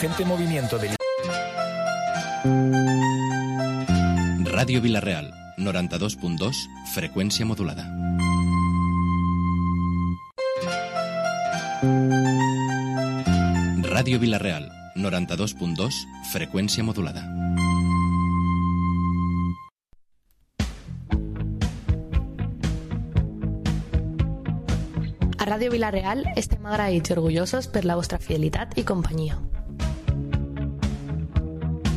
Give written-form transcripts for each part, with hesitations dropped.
emergente movimiento del... Ràdio Vila-real, 92.2, freqüència modulada. Ràdio Vila-real, 92.2, freqüència modulada. A Ràdio Vila-real estem agraïts i orgullosos per la vostra fidelitat i companyia.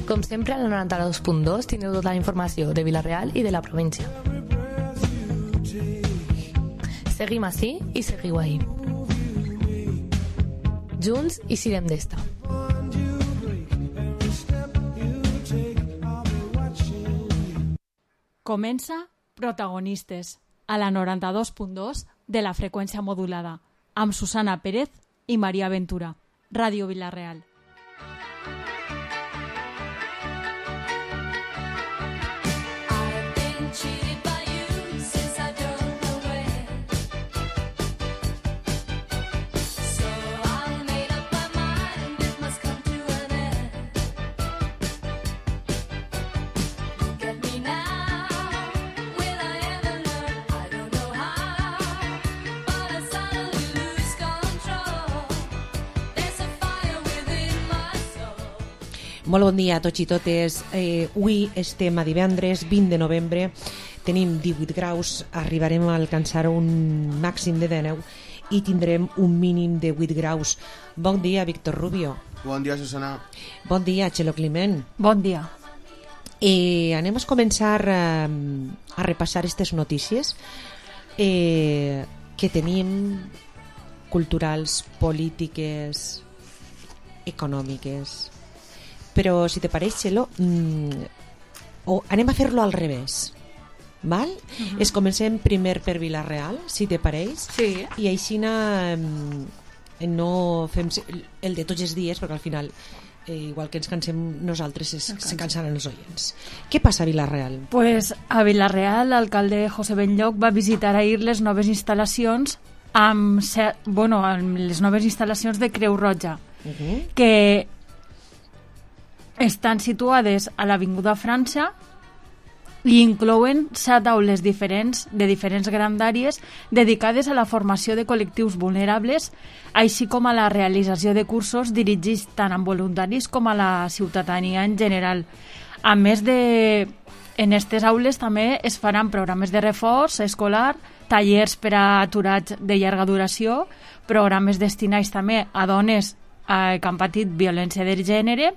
Com sempre, a la 92.2 tindreu tota la informació de Vila-real i de la província. Seguim ací i seguiu ahí. Junts i sirem d'esta. Comença Protagonistes, a la 92.2 de la freqüència modulada, amb Susana Pérez i Maria Ventura. Ràdio Vila-real. Molt bon dia a tots i totes. Avui estem a divendres 20 de novembre, tenim 18 graus, arribarem a alcançar un màxim de 19 i tindrem un mínim de 8 graus. Bon dia, Víctor Rubio. Bon dia, Susana. Bon dia, Txelo Climent. Bon dia. Anem a començar a repassar aquestes notícies que tenim, culturals, polítiques, econòmiques. Però, si te pareix, Txelo, anem a fer-lo al revés. Val? Es comencem primer per Vila-real, si te pareix. Sí. I així no fem el de tots els dies, perquè al final, igual que ens cansem nosaltres, se cansaran els oients. Què passa a Vila-real? Pues a Vila-real, l'alcalde José Benlloc va visitar ahir les noves instal·lacions amb les noves instal·lacions de Creu Roja, que estan situades a l'Avinguda França i inclouen 7 aules diferents de diferents grandàries dedicades a la formació de col·lectius vulnerables, així com a la realització de cursos dirigits tant a voluntaris com a la ciutadania en general. A més en aquestes aules també es faran programes de reforç escolar, tallers per a aturats de llarga duració, programes destinats també a dones que han patit violència de gènere,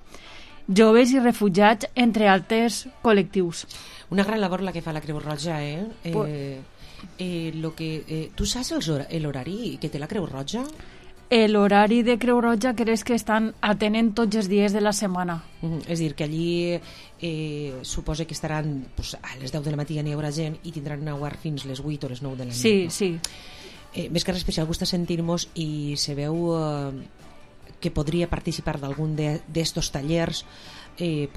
joves i refugiats, entre altres col·lectius. Una gran labor la que fa la Creu Roja, tu saps l'horari que té la Creu Roja? L'horari de Creu Roja crec que estan atenent tots els dies de la setmana. És a dir, que allí suposa que estaran a les 10 de la matí ja n'hi haurà gent i tindran obert fins les 8 o les 9 de la nit. Sí, no? sí. Més que res especial gusta sentir-nos i se veu que podria participar d'algun d'estos tallers que,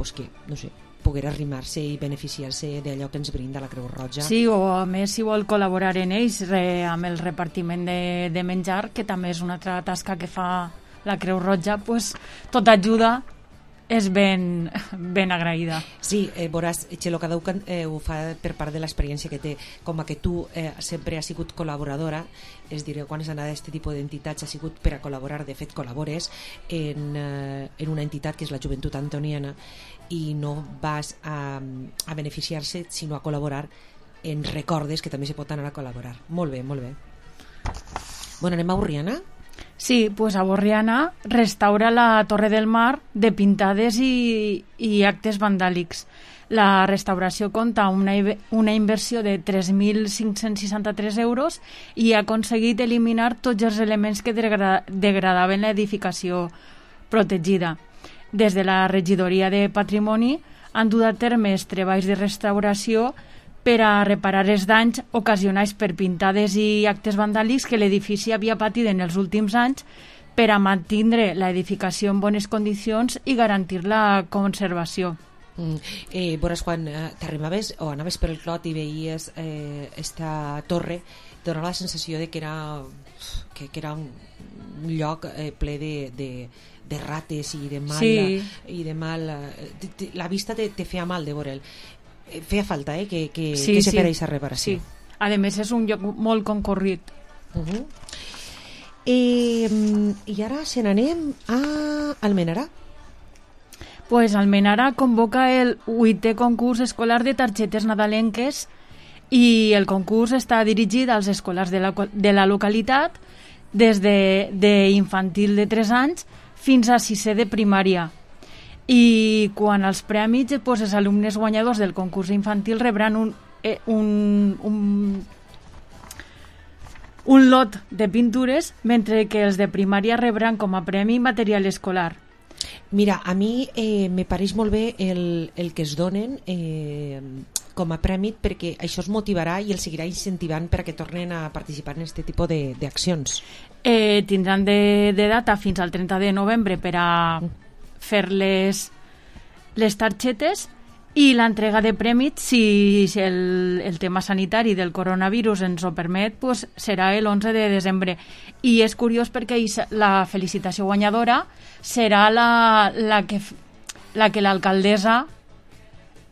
no sé, poder arrimar-se i beneficiar-se d'allò que ens brinda la Creu Roja. Sí, o a més si vol col·laborar en ells amb el repartiment de menjar, que també és una altra tasca que fa la Creu Roja, tota ajuda és ben agraïda. Sí, veuràs, Txelo, cada un ho fa per part de l'experiència que té, com que tu sempre has sigut col·laboradora, és dir, quan has anat a aquest tipus d'entitats has sigut per a col·laborar, de fet col·labores en una entitat que és la Joventut Antoniana i no vas a beneficiar-se sinó a col·laborar en recordes que també se pot anar a col·laborar. Molt bé, molt bé. Bueno, anem a Borriana? Sí, a Borriana restaura la Torre del Mar de pintades i actes vandàlics. La restauració compta una inversió de 3.563 euros i ha aconseguit eliminar tots els elements que degradaven l'edificació protegida. Des de la regidoria de Patrimoni han dut a terme treballs de restauració per a reparar els danys ocasionats per pintades i actes vandàlics que l'edifici havia patit en els últims anys per a mantenir l'edificació en bones condicions i garantir la conservació. Veuràs, quan t'arribaves o anaves per el clot i veies esta torre, donava la sensació de que era lloc ple de rates i de mal... Sí. I de mal la vista te feia mal de veure'l. Feia falta que Sí, se sí. fera aquesta reparació. Sí. A més, és un lloc molt concorrit. I ara se n'anem a Almenara. Pues Almenara convoca el 8è concurs escolar de targetes nadalenques i el concurs està dirigit als escolars de la localitat des d'infantil de 3 anys fins a 6è de primària. I quan els premis, pues, els alumnes guanyadors del concurs infantil rebran un lot de pintures, mentre que els de primària rebran com a premi material escolar. Mira, a mi me pareix molt bé el que es donen com a premi, perquè això es motivarà i els seguirà incentivant perquè tornen a participar en aquest tipus d'accions. Tindran de data fins al 30 de novembre per a fer les targetes, i l'entrega de premis, si el tema sanitari del coronavirus ens ho permet, pues serà l'11 de desembre. I és curiós perquè la felicitació guanyadora serà la que l'alcaldessa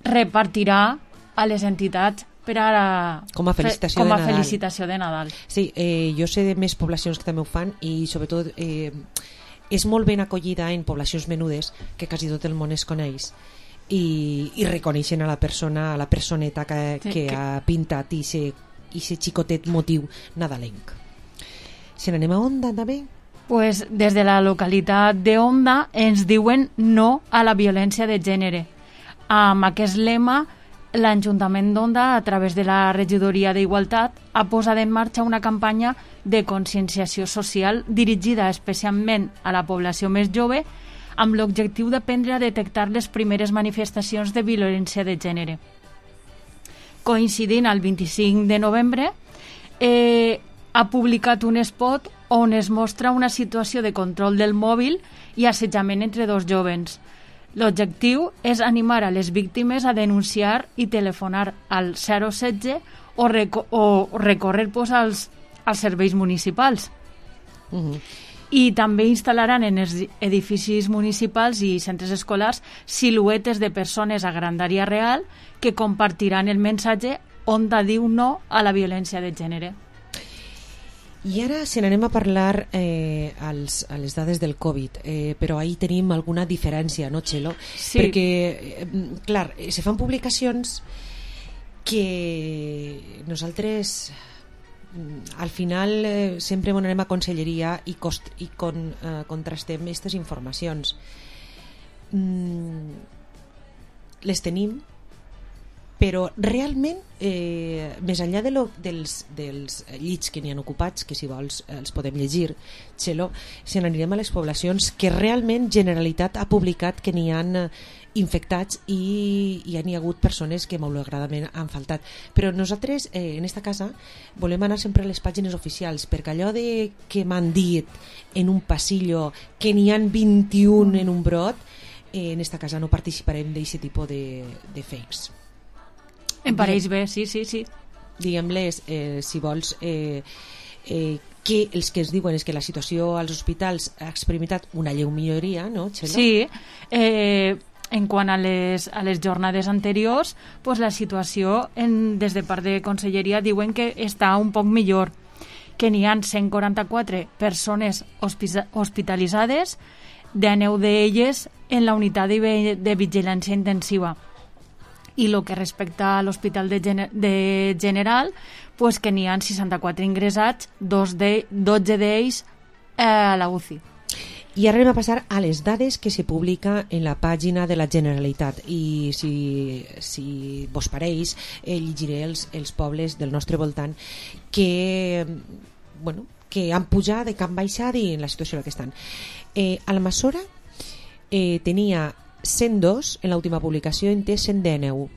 repartirà a les entitats per a com a felicitació de Nadal. Sí, jo sé de més poblacions que també ho fan, i sobretot és molt ben acollida en poblacions menudes que quasi tot el món es coneix i reconeixen a la persona, a la personeta que ha pintat i se xicotet motiu nadalenc. Se n'anem a Onda també? Pues des de la localitat d'Onda ens diuen no a la violència de gènere. Amb aquest lema, l'Ajuntament d'Onda, a través de la Regidoria d'Igualtat, ha posat en marxa una campanya de conscienciació social dirigida especialment a la població més jove, amb l'objectiu d'aprendre a detectar les primeres manifestacions de violència de gènere. Coincidint al 25 de novembre, ha publicat un spot on es mostra una situació de control del mòbil i assetjament entre dos jóvens. L'objectiu és animar a les víctimes a denunciar i telefonar al 016 o recórrer als serveis municipals. I també instal·laran en els edificis municipals i centres escolars siluetes de persones a grandària real que compartiran el missatge Onda diu no a la violència de gènere. I ara se n'anem a parlar a les dades del Covid, però ahir tenim alguna diferència, no, Txelo? Sí. Perquè, clar, se fan publicacions que nosaltres al final sempre anem a conselleria i contrastem aquestes informacions. Les tenim, però realment més enllà dels llits que n'hi han ocupats, que si vols els podem llegir, Txelo, se n'anirem a les poblacions que realment Generalitat ha publicat que n'hi han infectats i hi ha hagut persones que malauradament han faltat. Però nosaltres en esta casa volem anar sempre a les pàgines oficials, perquè allò de que m'han dit en un passillo que n'hi han 21 en un brot, en esta casa no participarem d'aquest tipus de fakes. Em pareix bé, sí. Diguem-les, si vols, que els que es diuen és que la situació als hospitals ha experimentat una lleu milloria, no, Txelo? Sí, en quant a les jornades anteriors, pues la situació des de part de Conselleria diuen que està un poc millor, que n'hi ha 144 persones hospitalitzades, 19 d'elles en la unitat de vigilància intensiva. I el que respecta a l'Hospital de General, pues que n'hi ha 64 ingressats, 12 d'ells a la UCI. I ara anem a passar a les dades que se publica en la pàgina de la Generalitat, i si vos pareix llegiré els pobles del nostre voltant que han pujat, que han baixat i en la situació en la que estan. Almassora tenia 102 en l'última publicació, en té 119.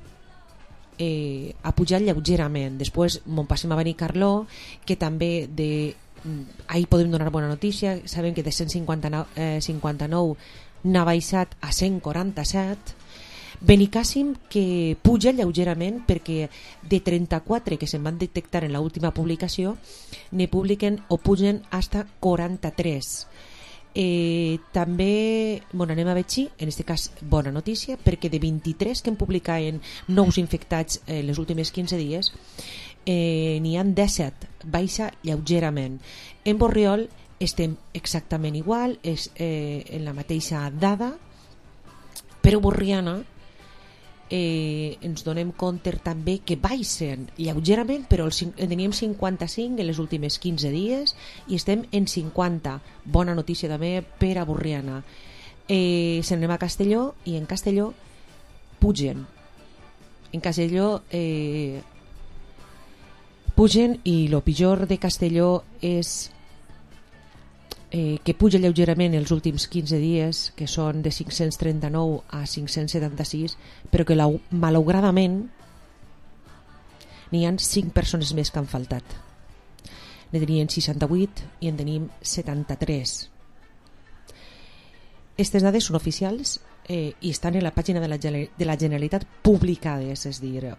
Ha pujat lleugerament. Després m'on passem a Benicarló, que també ahir podem donar bona notícia. Sabem que de 159 n'ha baixat a 147. Benicàssim que puja lleugerament perquè de 34 que se'n van detectar en l'última publicació ne publiquen o pugen hasta 43. També anem a veure, en aquest cas bona notícia, perquè de 23 que en publicaven nous infectats les últimes 15 dies n'hi han 17, baixa lleugerament. En Borriol estem exactament igual, és en la mateixa dada, però Borriana ens donem compte també que baixen lleugerament, però teníem 55 en les últimes 15 dies i estem en 50. Bona notícia també per a Borriana. Se n'anem a Castelló i en Castelló pugen. En Castelló pugen i el pitjor de Castelló és que puja lleugerament els últims 15 dies, que són de 539 a 576, però que malauradament n'hi ha 5 persones més que han faltat. Ne tenien 68 i en tenim 73. Aquestes dades són oficials i estan en la pàgina de la Generalitat publicades, és a dir,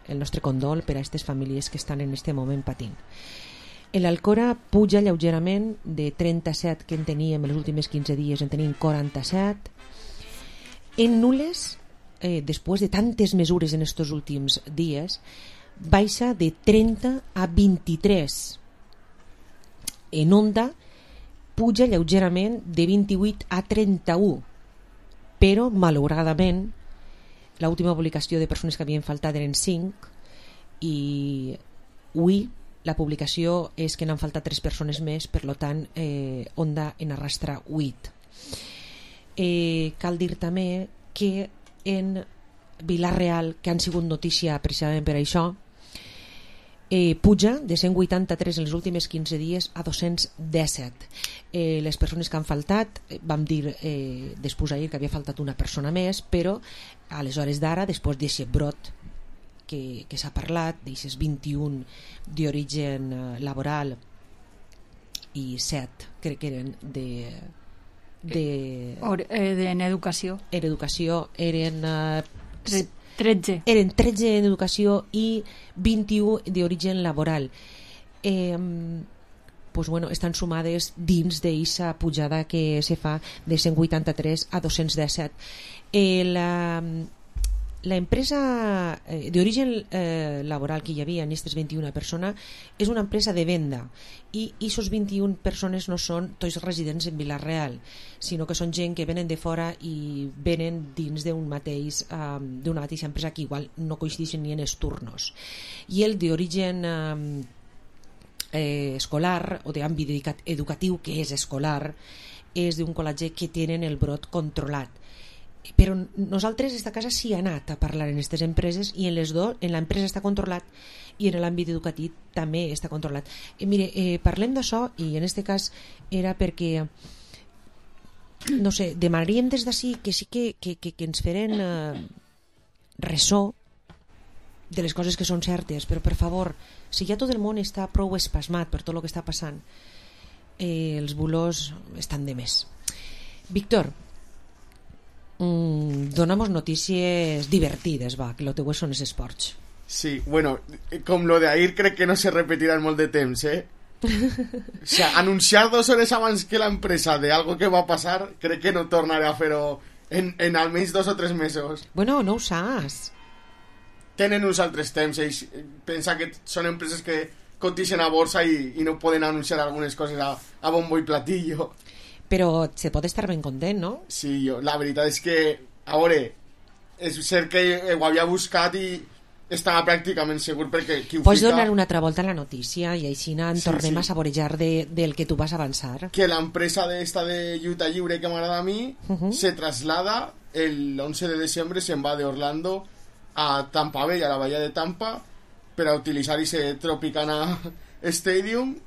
el nostre condol per a aquestes famílies que estan en aquest moment patint. L'Alcora puja lleugerament, de 37 que en teníem els últims 15 dies en tenim 47. En Nules, després de tantes mesures en aquests últims dies, baixa de 30 a 23. En Onda puja lleugerament de 28 a 31, però malauradament l'última publicació de persones que havien faltat eren 5 i avui la publicació és que n'han faltat 3 persones més, per tant Onda en arrastra 8. Cal dir també que en Vila-real, que han sigut notícia precisament per això, puja de 183 en les últimes 15 dies a 217. Les persones que han faltat, vam dir després ahir que havia faltat una persona més, però a les hores d'ara, després d'aquest brot que s'ha parlat, d'aquests 21 d'origen laboral i 7 crec que eren en educació. En educació eren 13. Eren 13 en educació i 21 d'origen laboral. Estan sumades dins d'aquesta pujada que se fa de 183 a 217. La empresa d'origen laboral que hi havia en aquestes 21 persones és una empresa de venda i aquestes 21 persones no són tots residents en Vila-real, sinó que són gent que venen de fora i venen dins d'una mateixa empresa que igual no coincideixen ni en els turnos. I el d'origen escolar o d'àmbit educatiu, que és escolar, és d'un col·legi que tenen el brot controlat. Però nosaltres esta casa sí ha anat a parlar en aquestes empreses i en les dues, en l'empresa està controlat i en l'àmbit educatiu també està controlat. Mire, parlem d'això i en aquest cas era perquè no sé, demanaríem des d'ací que sí que ens feren ressò de les coses que són certes, però per favor, si ja tot el món està prou espasmat per tot el que està passant, els bulos estan de més. Víctor, donamos noticias divertidas, va, que lo teu són els esports. Sí, bueno, com lo de ahir crec que no se repetirà en molt de temps, O sea, anunciar 2 hores abans que l'empresa de algo que va a passar, crec que no tornaré a fer-ho en almenys 2 o 3 mesos. Bueno, no ho saps. Tenen uns altres temps, ells pensa que són empreses que cotixen a borsa i no poden anunciar algunes coses a bombo i platillo. Però se pot estar ben content, no? Sí, la veritat és que, a veure, és cert que ho havia buscat i estava pràcticament segur perquè qui ho Pots fica... donar una altra volta a la notícia i així en tornem a saborejar del que tu vas avançar. Que l'empresa d'esta de lluita lliure que m'agrada a mi se traslada el 11 de desembre, se'n va d'Orlando a Tampa Bay, a la bahia de Tampa, per a utilitzar ese Tropicana Stadium,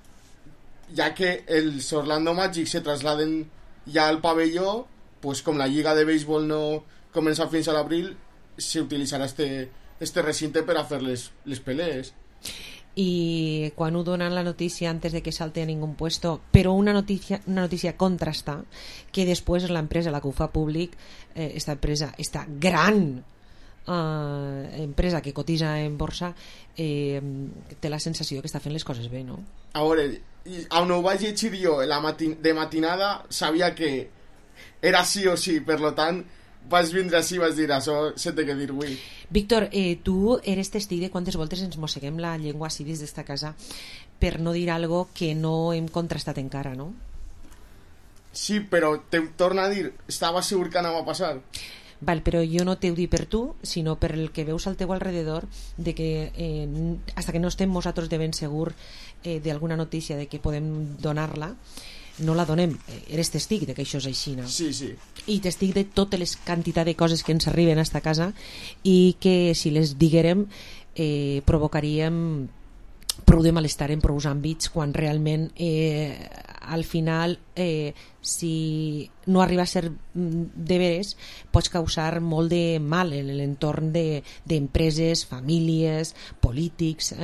ja que els Orlando Magic se trasladen ja al pavelló, pues com la lliga de béisbol no comença fins a l'abril, se utilitzarà este recinte per a fer les pelees. i quan ho donen la notícia antes de que salte a ningú puesto, però una notícia contrasta, que després l'empresa, la que ho fa públic, esta gran empresa que cotitza en borsa, té la sensació que està fent les coses bé, no? A veure, on ho vaig llegir jo de matinada, sabia que era sí o sí, per lo tant vas vindre així i vas dir això se té que dir avui. Víctor, tu eres testig de quantes voltes ens mosseguem la llengua així des d'esta casa per no dir algo que no hem contrastat encara, no? Sí, però te torno a dir, estava segur que anava a passar. Val, però jo no t'ho dic per tu, sinó per el que veus al teu alrededor, de que hasta que no estem nosaltres de ben segur d'alguna notícia de que podem donar-la, no la donem. Eres testig de que això és així, no? Sí, sí. I testig de totes les quantitats de coses que ens arriben a esta casa i que si les diguérem provocaríem prou de malestar en prou àmbits, quan realment al final si no arriba a ser de veres pots causar molt de mal en l'entorn d'empreses, famílies, polítics,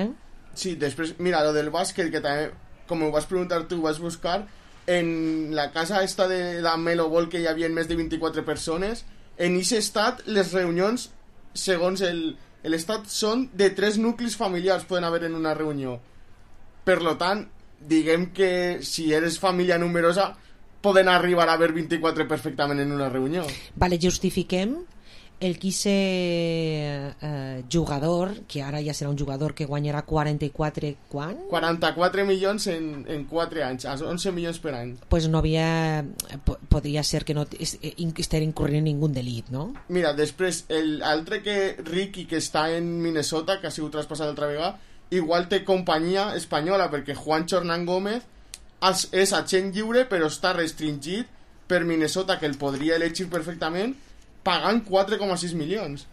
Sí, després, mira, lo del bàsquet, que també, com ho vas preguntar tu, ho vas buscar, en la casa esta de la Melo Ball, que hi havia més de 24 persones, en aquest estat les reunions, segons l'estat, són de 3 nuclis familiars poden haver en una reunió. Per lo tant, diguem que si eres família numerosa poden arribar a haver 24 perfectament en una reunió. Vale, justifiquem el qui ser jugador, que ara ja serà un jugador que guanyarà 44, quan? 44 milions en 4 anys, 11 milions per any. Pues no havia... podria ser que no estés incurrint en ningú delit, no? Mira, després, l'altre que Ricky, que està en Minnesota, que ha sigut traspassat l'altra vegada, igual té companyia espanyola, perquè Juancho Hernán Gómez és agent lliure, però està restringit per Minnesota, que el podria elegir perfectament, pagant 4,6 milions.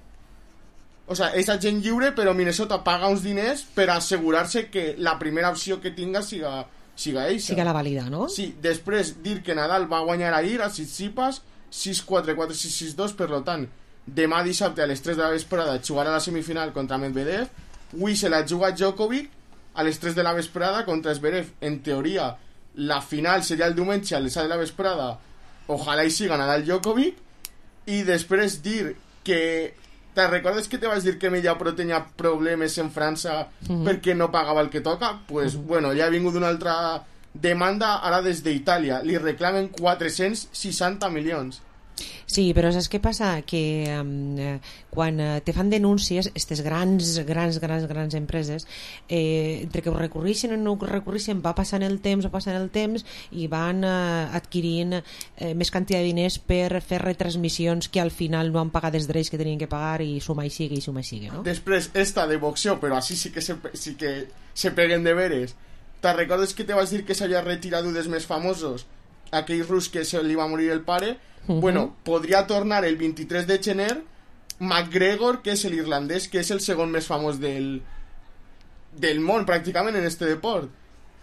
O sigui, és agent lliure, però Minnesota paga uns diners per assegurar-se que la primera opció que tinga siga eixa. Siga la vàlida, no? Sí, després dir que Nadal va guanyar ahir a Tsitsipas 6-4, 4-6, 6-2, per tant, demà dissabte a les 3 de la vesprada jugarà la semifinal contra Medvedev, avui se la juga Djokovic a les 3 de la vesprada contra Zverev. En teoria, la final seria el diumenge a les 6 de la vesprada, ojalà hi siga Nadal Djokovic. I després dir que... Te recordes que te vaig dir que Mediapro tenia problemes en França perquè no pagava el que toca? Pues, bueno, ja ha vingut una altra demanda ara des d'Itàlia. Li reclamen 460 milions. Sí, però saps què passa? Que quan te fan denúncies, aquestes grans empreses, entre que ho recurreixen o no ho recurreixen, va passant el temps i van adquirint més quantitat de diners per fer retransmissions que al final no han pagat els drets que tenien que pagar i suma i sigue, no? Després, esta de boxeo, però així sí que se peguen de veres. Te recordes que te vas dir que s'havia retirat dels més famosos? Aquell rus que se li va morir el pare. Bueno, podria tornar el 23 de gener McGregor, que és l'irlandès, que és el segon més famós del món pràcticament en este deport.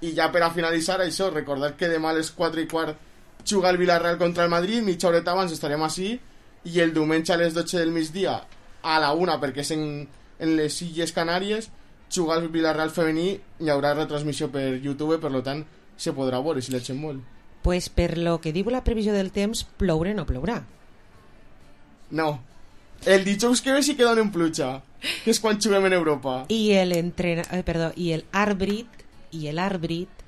I ja per a finalitzar això, recordar que demà a les 4:15 juga el Villarreal contra el Madrid, mitja horeta abans estarem així, i el diumenge a les 12 del migdia a la 1, perquè és en les Illes Canàries, juga el Villarreal femení, hi haurà retransmissió per YouTube, per tant se podrà veure si l'eixen molt. Pues per lo que diu la previsió del temps, ploure no plourà. No. El dijous que ve sí que donen pluja, que és quan juguem en Europa. I l'àrbit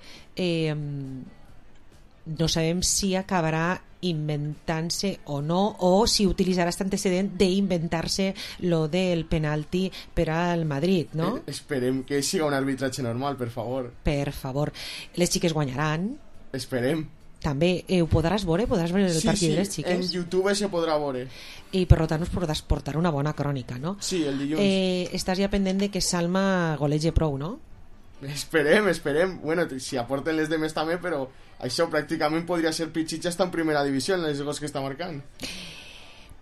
no sabem si acabarà inventant-se o no, o si utilitzarà aquest antecedent d'inventar-se lo del penalti per al Madrid, no? Esperem que siga un arbitratge normal, per favor. Per favor. Les xiques guanyaran. Esperem. També ho podràs veure el partit de les xiques. En YouTube se podrà veure. I per tant us podràs portar una bona crònica, no? Sí, el dilluns. Estàs ja pendent de que Salma golege prou, no? Esperem. Bueno, si aporten les demés també, però això pràcticament podria ser Pichicha està en primera divisió en les gols que està marcant.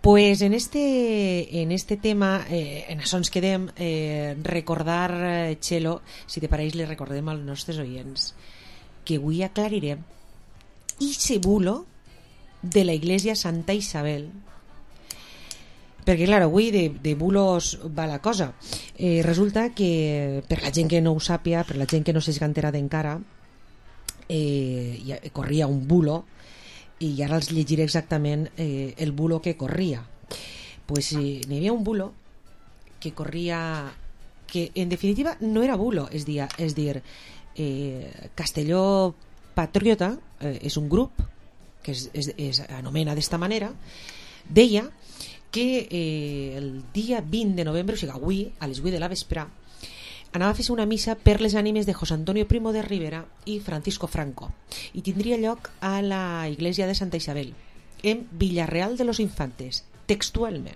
Pues en este tema en això ens quedem. Recordar, Txelo, si te pareix, li recordem als nostres oients que avui aclarirem ese bulo de la Iglesia Santa Isabel Perquè, clar, avui de bulos va la cosa. Resulta que, per la gent que no ho sàpia, per la gent que no s'ha enterat encara, corria un bulo, i ara els llegiré exactament el bulo que corria. Pues n'hi havia un bulo que corria, que en definitiva no era bulo, és dir, Castelló Patriota és un grup que es anomena d'esta manera, deia que el dia 20 de novembre, o sigui avui, a les 8 de la vespre, anava a fer una missa per les ànimes de José Antonio Primo de Rivera i Francisco Franco, i tindria lloc a la iglesia de Santa Isabel, en Villarreal de los Infantes, textualment.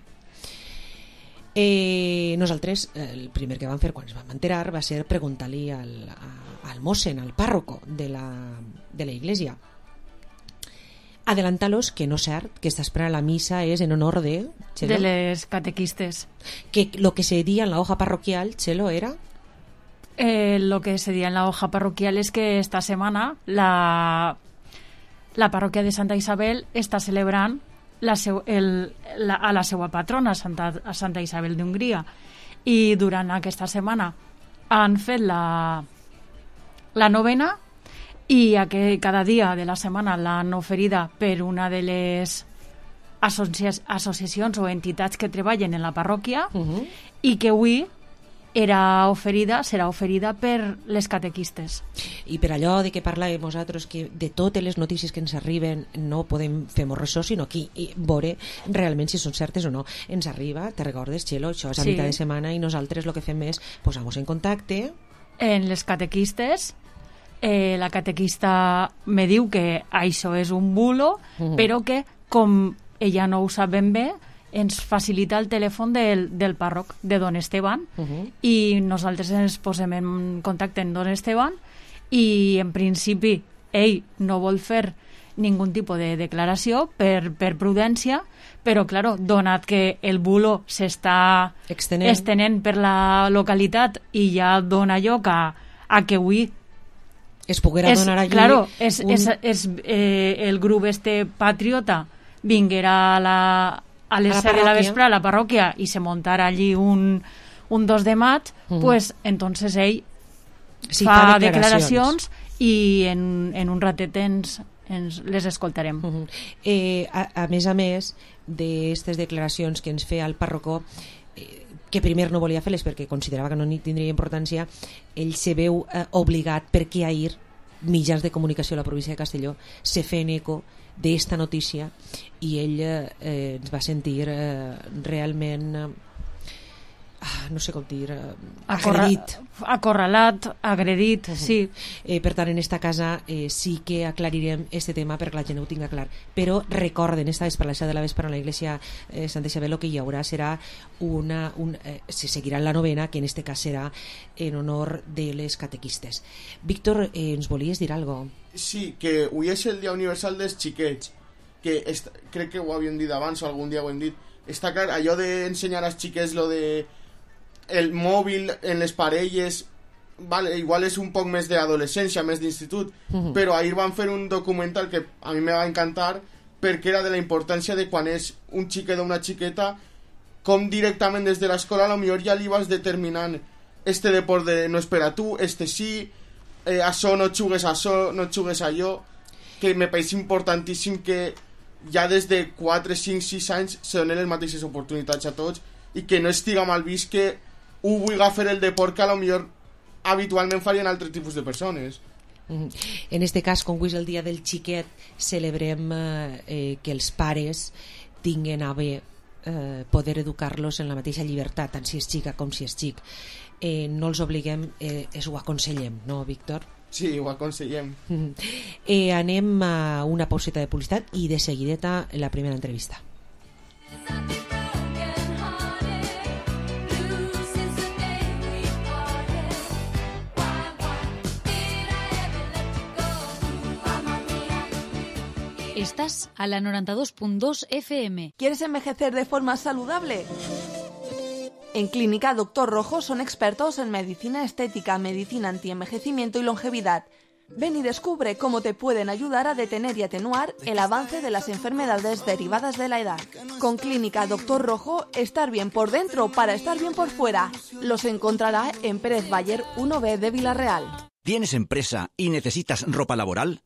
Nosaltres el primer que vam fer quan ens vam enterar va ser preguntar-li al mossen, al párroco de la iglesia. Adelantalos que no és cert, que esta espera la misa es en honor de... Chelo, de les catequistes. Que lo que se decía en la hoja parroquial, Chelo, era... Lo que se decía en la hoja parroquial es que esta semana la parroquia de Santa Isabel està celebrant a la seva patrona, Santa Isabel d'Hongria, i durant aquesta setmana han fet la novena, i cada dia de la setmana l'han oferida per una de les associacions o entitats que treballen en la parròquia, i que avui serà oferida per les catequistes. I per allò de que parlàvem nosaltres, que de totes les notícies que ens arriben no podem fer-nos ressò, sinó aquí veure realment si són certes o no. Ens arriba, te recordes, Chelo, això és a mitjà de setmana, i nosaltres el que fem és posar-nos en contacte en les catequistes. La catequista me diu que això és un bulo, però que com ella no ho sap ben bé, ens facilita el telèfon del pàrroc, de don Esteban, i nosaltres ens posem en contacte amb don Esteban, i en principi ell no vol fer ningú tipus de declaració per prudència, però claro, donat que el bulo s'està estenent per la localitat i ja dona lloc a que avui es poguera donar allí... Claro, el grup patriota vinguera a les 7 de la vespre a la parròquia i se muntara allí un 2 de maig, pues entonces ell fa declaracions i en un ratet ens les escoltarem. A més d'aquestes declaracions que ens feia el pàrroco, que primer no volia fer-les perquè considerava que no tindria importància, ell se veu obligat perquè ahir mitjans de comunicació a la província de Castelló se feien eco d'esta notícia i ell ens va sentir realment no sé com dir, acorralat, agredit, sí. Per tant, en esta casa sí que aclarirem este tema perquè la gent ho tinga clar, però recorden, esta vespre de la vespre a la iglesia Santa Isabel, que hi haurà serà se seguirà la novena, que en este cas serà en honor de les catequistes. Víctor, ens volies dir algo? Sí, que avui és el dia universal dels xiquets, que crec que ho havíem dit abans o algun dia ho hem dit. Està clar, allò d'ensenyar als xiquets lo de el mòbil en les parelles, vale, igual és un poc més d'adolescència, més d'institut, però ahir van fer un documental que a mi me va encantar perquè era de la importància de quan és un xiquet o una xiqueta, com directament des de l'escola a lo millor ja li vas determinant este deport de no és per a tu, este sí, això no xugues això, no xugues allò, que me pareix importantíssim que ja des de 4, 5, 6 anys se donen les mateixes oportunitats a tots i que no estiga mal vist que ho vulgui fer el deport que a lo millor habitualment farien altres tipus de persones. En este cas, com avui és el dia del xiquet, celebrem que els pares tinguen a bé poder educar-los en la mateixa llibertat, tant si és xica com si és xic. No els obliguem, ho aconsellem, no, Víctor? Sí, ho aconsellem. Anem a una pauseta de publicitat i de seguideta la primera entrevista. Estás a la 92.2 FM. ¿Quieres envejecer de forma saludable? En Clínica Doctor Rojo son expertos en medicina estética, medicina antienvejecimiento y longevidad. Ven y descubre cómo te pueden ayudar a detener y atenuar el avance de las enfermedades derivadas de la edad. Con Clínica Doctor Rojo, estar bien por dentro para estar bien por fuera. Los encontrará en Pérez Bayer 1B de Villarreal. ¿Tienes empresa y necesitas ropa laboral?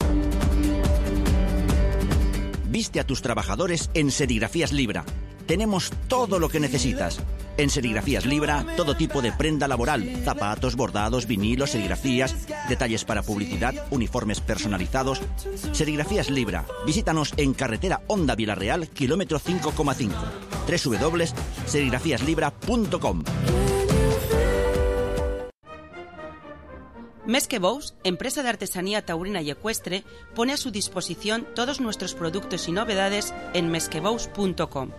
Viste a tus trabajadores en Serigrafías Libra. Tenemos todo lo que necesitas. En Serigrafías Libra, todo tipo de prenda laboral, zapatos, bordados, vinilos, serigrafías, detalles para publicidad, uniformes personalizados. Serigrafías Libra. Visítanos en carretera Honda Villarreal, kilómetro 5,5. www.serigrafíaslibra.com. Més que Bous, empresa de artesanía taurina y ecuestre, pone a su disposición todos nuestros productos y novedades en mesquebous.com.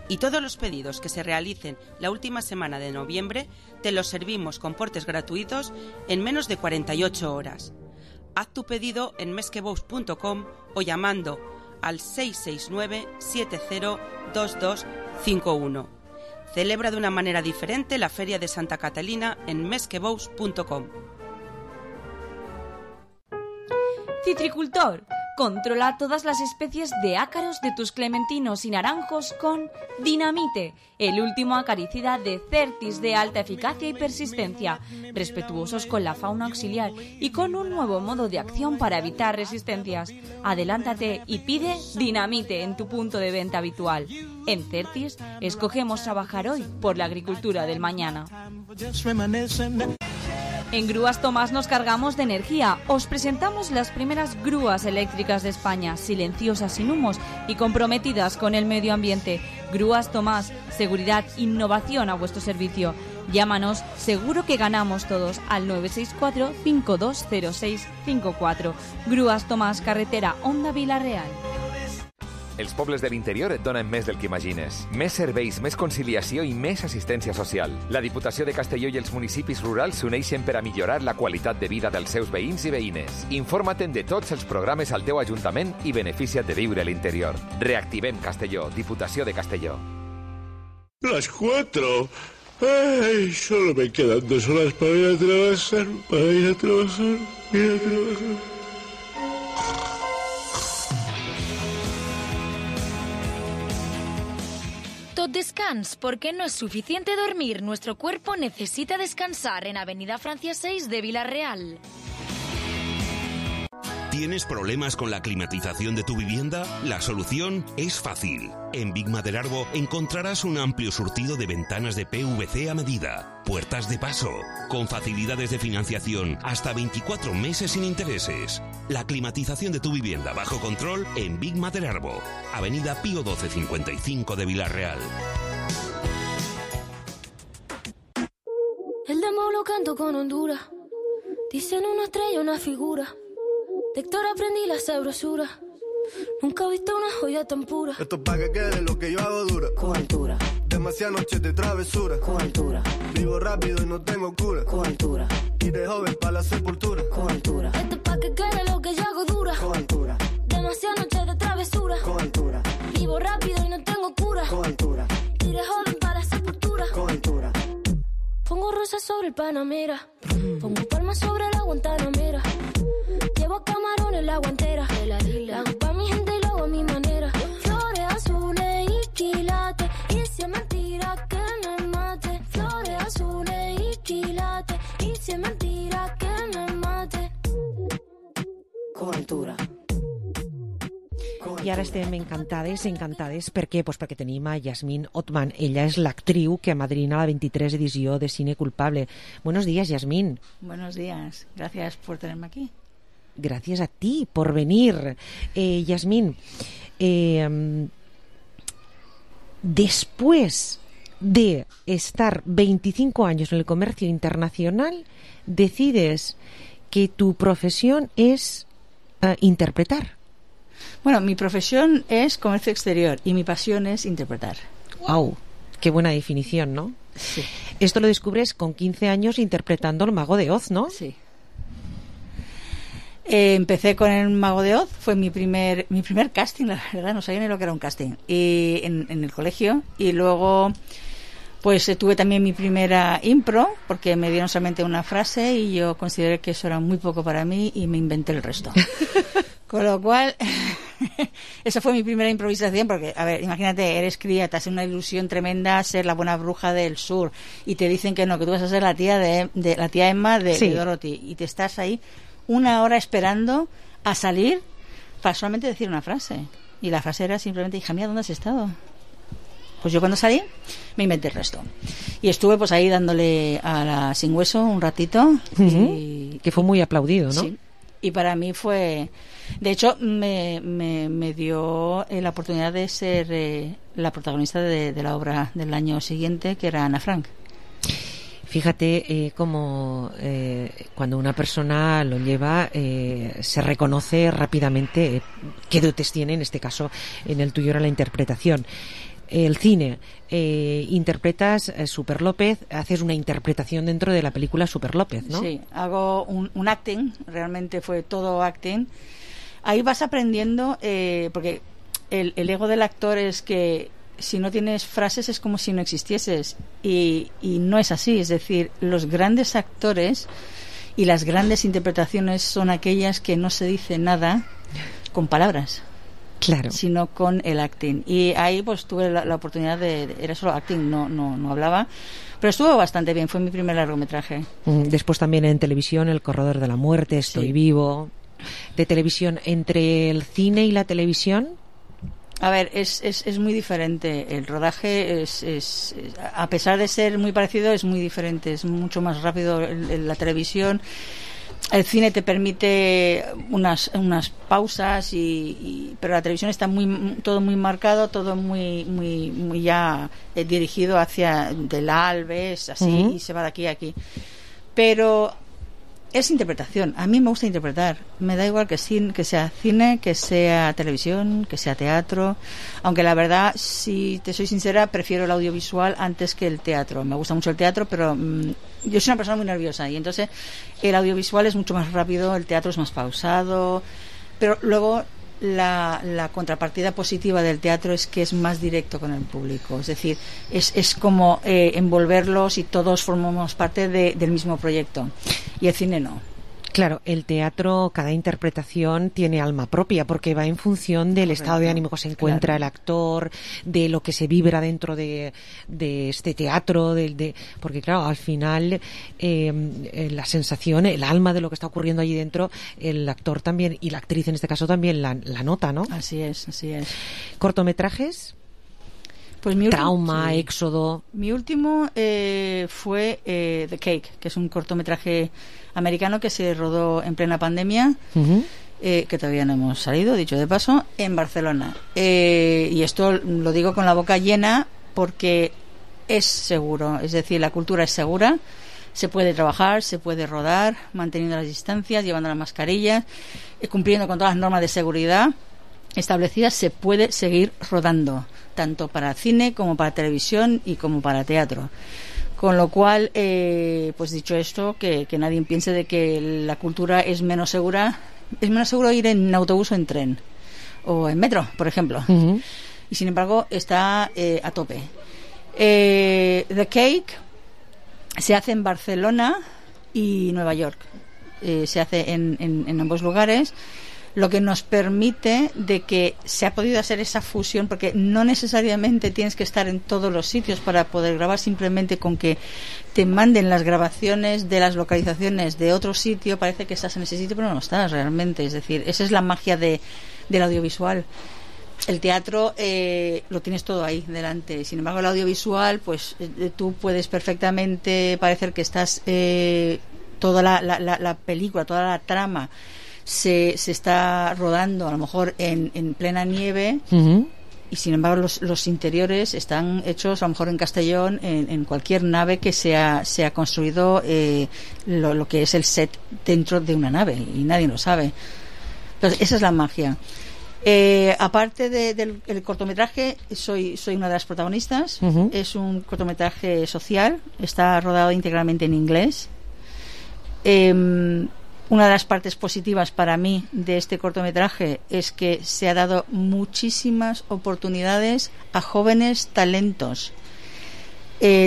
Y todos los pedidos que se realicen la última semana de noviembre te los servimos con portes gratuitos en menos de 48 horas. Haz tu pedido en mesquebous.com o llamando al 669 702251. Celebra de una manera diferente la Feria de Santa Catalina en mesquebous.com. Citricultor, controla todas las especies de ácaros de tus clementinos y naranjos con Dinamite, el último acaricida de Certis de alta eficacia y persistencia, respetuosos con la fauna auxiliar y con un nuevo modo de acción para evitar resistencias. Adelántate y pide Dinamite en tu punto de venta habitual. En Certis, escogemos trabajar hoy por la agricultura del mañana. En Grúas Tomás nos cargamos de energía. Os presentamos las primeras grúas eléctricas de España, silenciosas, sin humos y comprometidas con el medio ambiente. Grúas Tomás, seguridad, innovación a vuestro servicio. Llámanos, seguro que ganamos todos, al 964-520654. Grúas Tomás, carretera Honda Villarreal. Els pobles de l'interior et donen més del que imagines. Més serveis, més conciliació i més assistència social. La Diputació de Castelló i els municipis rurals s'uneixen per a millorar la qualitat de vida dels seus veïns i veïnes. Informa't de tots els programes al teu ajuntament i beneficia't de viure a l'interior. Reactivem Castelló, Diputació de Castelló. Las 4. Ay, solo me quedan 2 horas para ir a trabajar. Tot descans, porque no es suficiente dormir. Nuestro cuerpo necesita descansar en Avenida Francia 6 de Villarreal. ¿Tienes problemas con la climatización de tu vivienda? La solución es fácil. En Big Maderarbo encontrarás un amplio surtido de ventanas de PVC a medida, puertas de paso, con facilidades de financiación hasta 24 meses sin intereses. La climatización de tu vivienda bajo control en Big Maderarbo, Avenida Pío 1255 de Villarreal. El demo lo canto con Honduras. Dicen una estrella, una figura. De Héctor aprendí la sabrosura. Nunca he visto una joya tan pura. Esto es pa' que quede lo que yo hago dura. Con altura. Demasiadas noches de travesura. Con altura. Vivo rápido y no tengo cura. Con altura. Y de joven pa' la sepultura. Con altura. Esto es pa' que quede lo que yo hago dura. Con altura. Demasiadas noches de travesura. Con altura. Vivo rápido y no tengo cura. Con altura. Y de joven pa' la sepultura. Con altura. Pongo rosas sobre el Panamera. Pongo palmas sobre la Guantanamera. Llevo camarones la guantera. La hago pa' mi gente y lo hago a mi manera. Flores azules y quilates. Y si es mentira que me mate. Flores azules y quilates. Y si es mentira que me mate. Con altura. I ara estem encantades. Per què? Pues perquè tenim a Yasmín Othman. Ella és l'actriu que amadrina la 23 edició de Cine Culpable. Buenos días, Yasmín. Buenos días. Gracias por tenerme aquí. Gracias a ti por venir. Yasmín, después de estar 25 años en el comercio internacional, decides que tu profesión es interpretar. Bueno, mi profesión es comercio exterior y mi pasión es interpretar. ¡Wow! Qué buena definición, ¿no? Sí. Esto lo descubres con 15 años interpretando el Mago de Oz, ¿no? Sí. Empecé con el Mago de Oz, fue mi primer casting, la verdad, no sabía ni lo que era un casting, y en el colegio, y luego Pues tuve también mi primera impro, porque me dieron solamente una frase y yo consideré que eso era muy poco para mí y me inventé el resto. Con lo cual, esa fue mi primera improvisación, porque, a ver, imagínate, eres cría, te hace una ilusión tremenda ser la buena bruja del sur y te dicen que no, que tú vas a ser la tía de la tía Emma de Dorothy, y te estás ahí 1 hora esperando a salir para solamente decir una frase. Y la frase era simplemente, hija mía, ¿dónde has estado? Pues yo cuando salí me inventé el resto. Y estuve pues ahí dándole a la Sin Hueso un ratito. Que fue muy aplaudido, ¿no? Sí. Y para mí fue... De hecho, me dio la oportunidad de ser la protagonista de la obra del año siguiente, que era Ana Frank. Fíjate cómo cuando una persona lo lleva se reconoce rápidamente qué dotes tiene, en este caso en el tuyo era la interpretación. El cine, interpretas Super López, haces una interpretación dentro de la película Super López, ¿no? Sí, hago un acting, realmente fue todo acting. Ahí vas aprendiendo, porque el ego del actor es que si no tienes frases es como si no existieses, y no es así. Es decir, los grandes actores y las grandes interpretaciones son aquellas que no se dice nada con palabras. Claro. Sino con el acting. Y ahí pues tuve la oportunidad era solo acting, no hablaba, pero estuvo bastante bien, fue mi primer largometraje. Después también en televisión, El corredor de la muerte, Estoy vivo. De televisión, entre el cine y la televisión. A ver, es muy diferente. El rodaje es a pesar de ser muy parecido, es muy diferente, es mucho más rápido la televisión. El cine te permite unas pausas, pero la televisión está todo muy marcado, todo muy ya dirigido hacia del A al B, así, y se va de aquí a aquí. Pero es interpretación. A mí me gusta interpretar. Me da igual que sea cine, que sea televisión, que sea teatro. Aunque la verdad, si te soy sincera, prefiero el audiovisual antes que el teatro. Me gusta mucho el teatro, pero yo soy una persona muy nerviosa y entonces el audiovisual es mucho más rápido, el teatro es más pausado. Pero luego la contrapartida positiva del teatro es que es más directo con el público. Es decir, es como envolverlos y todos formamos parte del mismo proyecto. Y el cine no. Claro, el teatro, cada interpretación tiene alma propia porque va en función del estado de ánimo que se encuentra el actor, de lo que se vibra dentro de este teatro, porque claro, al final la sensación, el alma de lo que está ocurriendo allí dentro, el actor también y la actriz en este caso también la nota, ¿no? Así es. ¿Cortometrajes? Pues mi Trauma, Éxodo. Mi último fue The Cake, que es un cortometraje americano que se rodó en plena pandemia, que todavía no hemos salido, dicho de paso, en Barcelona. Y esto lo digo con la boca llena porque es seguro, es decir, la cultura es segura, se puede trabajar, se puede rodar, manteniendo las distancias, llevando las mascarillas, cumpliendo con todas las normas de seguridad establecidas, se puede seguir rodando, tanto para cine como para televisión y como para teatro. Con lo cual, pues dicho esto, que nadie piense de que la cultura es menos segura. Es menos seguro ir en autobús o en tren o en metro, por ejemplo. Y sin embargo está a tope. The Cake se hace en Barcelona y Nueva York. Se hace en ambos lugares, lo que nos permite de que se ha podido hacer esa fusión, porque no necesariamente tienes que estar en todos los sitios para poder grabar, simplemente con que te manden las grabaciones de las localizaciones de otro sitio, parece que estás en ese sitio, pero no estás realmente. Es decir, esa es la magia del audiovisual. El teatro lo tienes todo ahí delante, sin embargo el audiovisual, pues tú puedes perfectamente parecer que estás toda la película, toda la trama se está rodando a lo mejor en plena nieve, y sin embargo los interiores están hechos a lo mejor en Castellón, en cualquier nave que se ha construido lo que es el set dentro de una nave, y nadie lo sabe. Entonces esa es la magia. Aparte del cortometraje, soy una de las protagonistas. Es un cortometraje social, está rodado íntegramente en inglés. Una de las partes positivas para mí de este cortometraje es que se ha dado muchísimas oportunidades a jóvenes talentos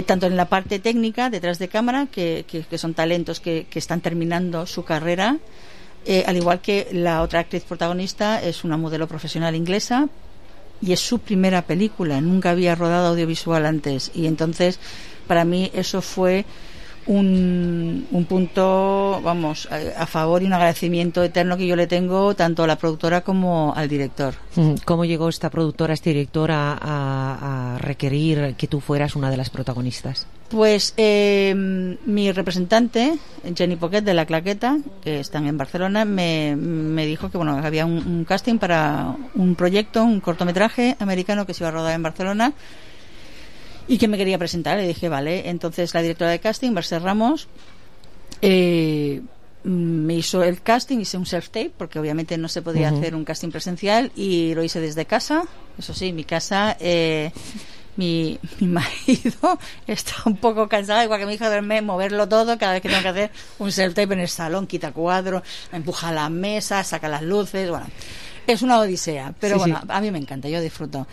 tanto en la parte técnica, detrás de cámara, que son talentos que están terminando su carrera, al igual que la otra actriz protagonista es una modelo profesional inglesa y es su primera película, nunca había rodado audiovisual antes, y entonces para mí eso fue un punto, vamos, a favor y un agradecimiento eterno que yo le tengo tanto a la productora como al director. ¿Cómo llegó esta productora, este director a requerir que tú fueras una de las protagonistas? Pues mi representante, Jenny Poquet de La Claqueta, que están en Barcelona, me dijo que bueno, había un casting para un proyecto, un cortometraje americano que se iba a rodar en Barcelona y que me quería presentar. Le dije vale. Entonces la directora de casting, Mercè Ramos, me hizo el casting, hice un self-tape porque obviamente no se podía hacer un casting presencial y lo hice desde casa. Eso sí, mi casa, mi marido está un poco cansado, igual que mi hija, de verme moverlo todo cada vez que tengo que hacer un self-tape en el salón, quita cuadro, empuja la mesa, saca las luces, bueno, es una odisea, pero sí, bueno, sí. A mí me encanta, yo disfruto.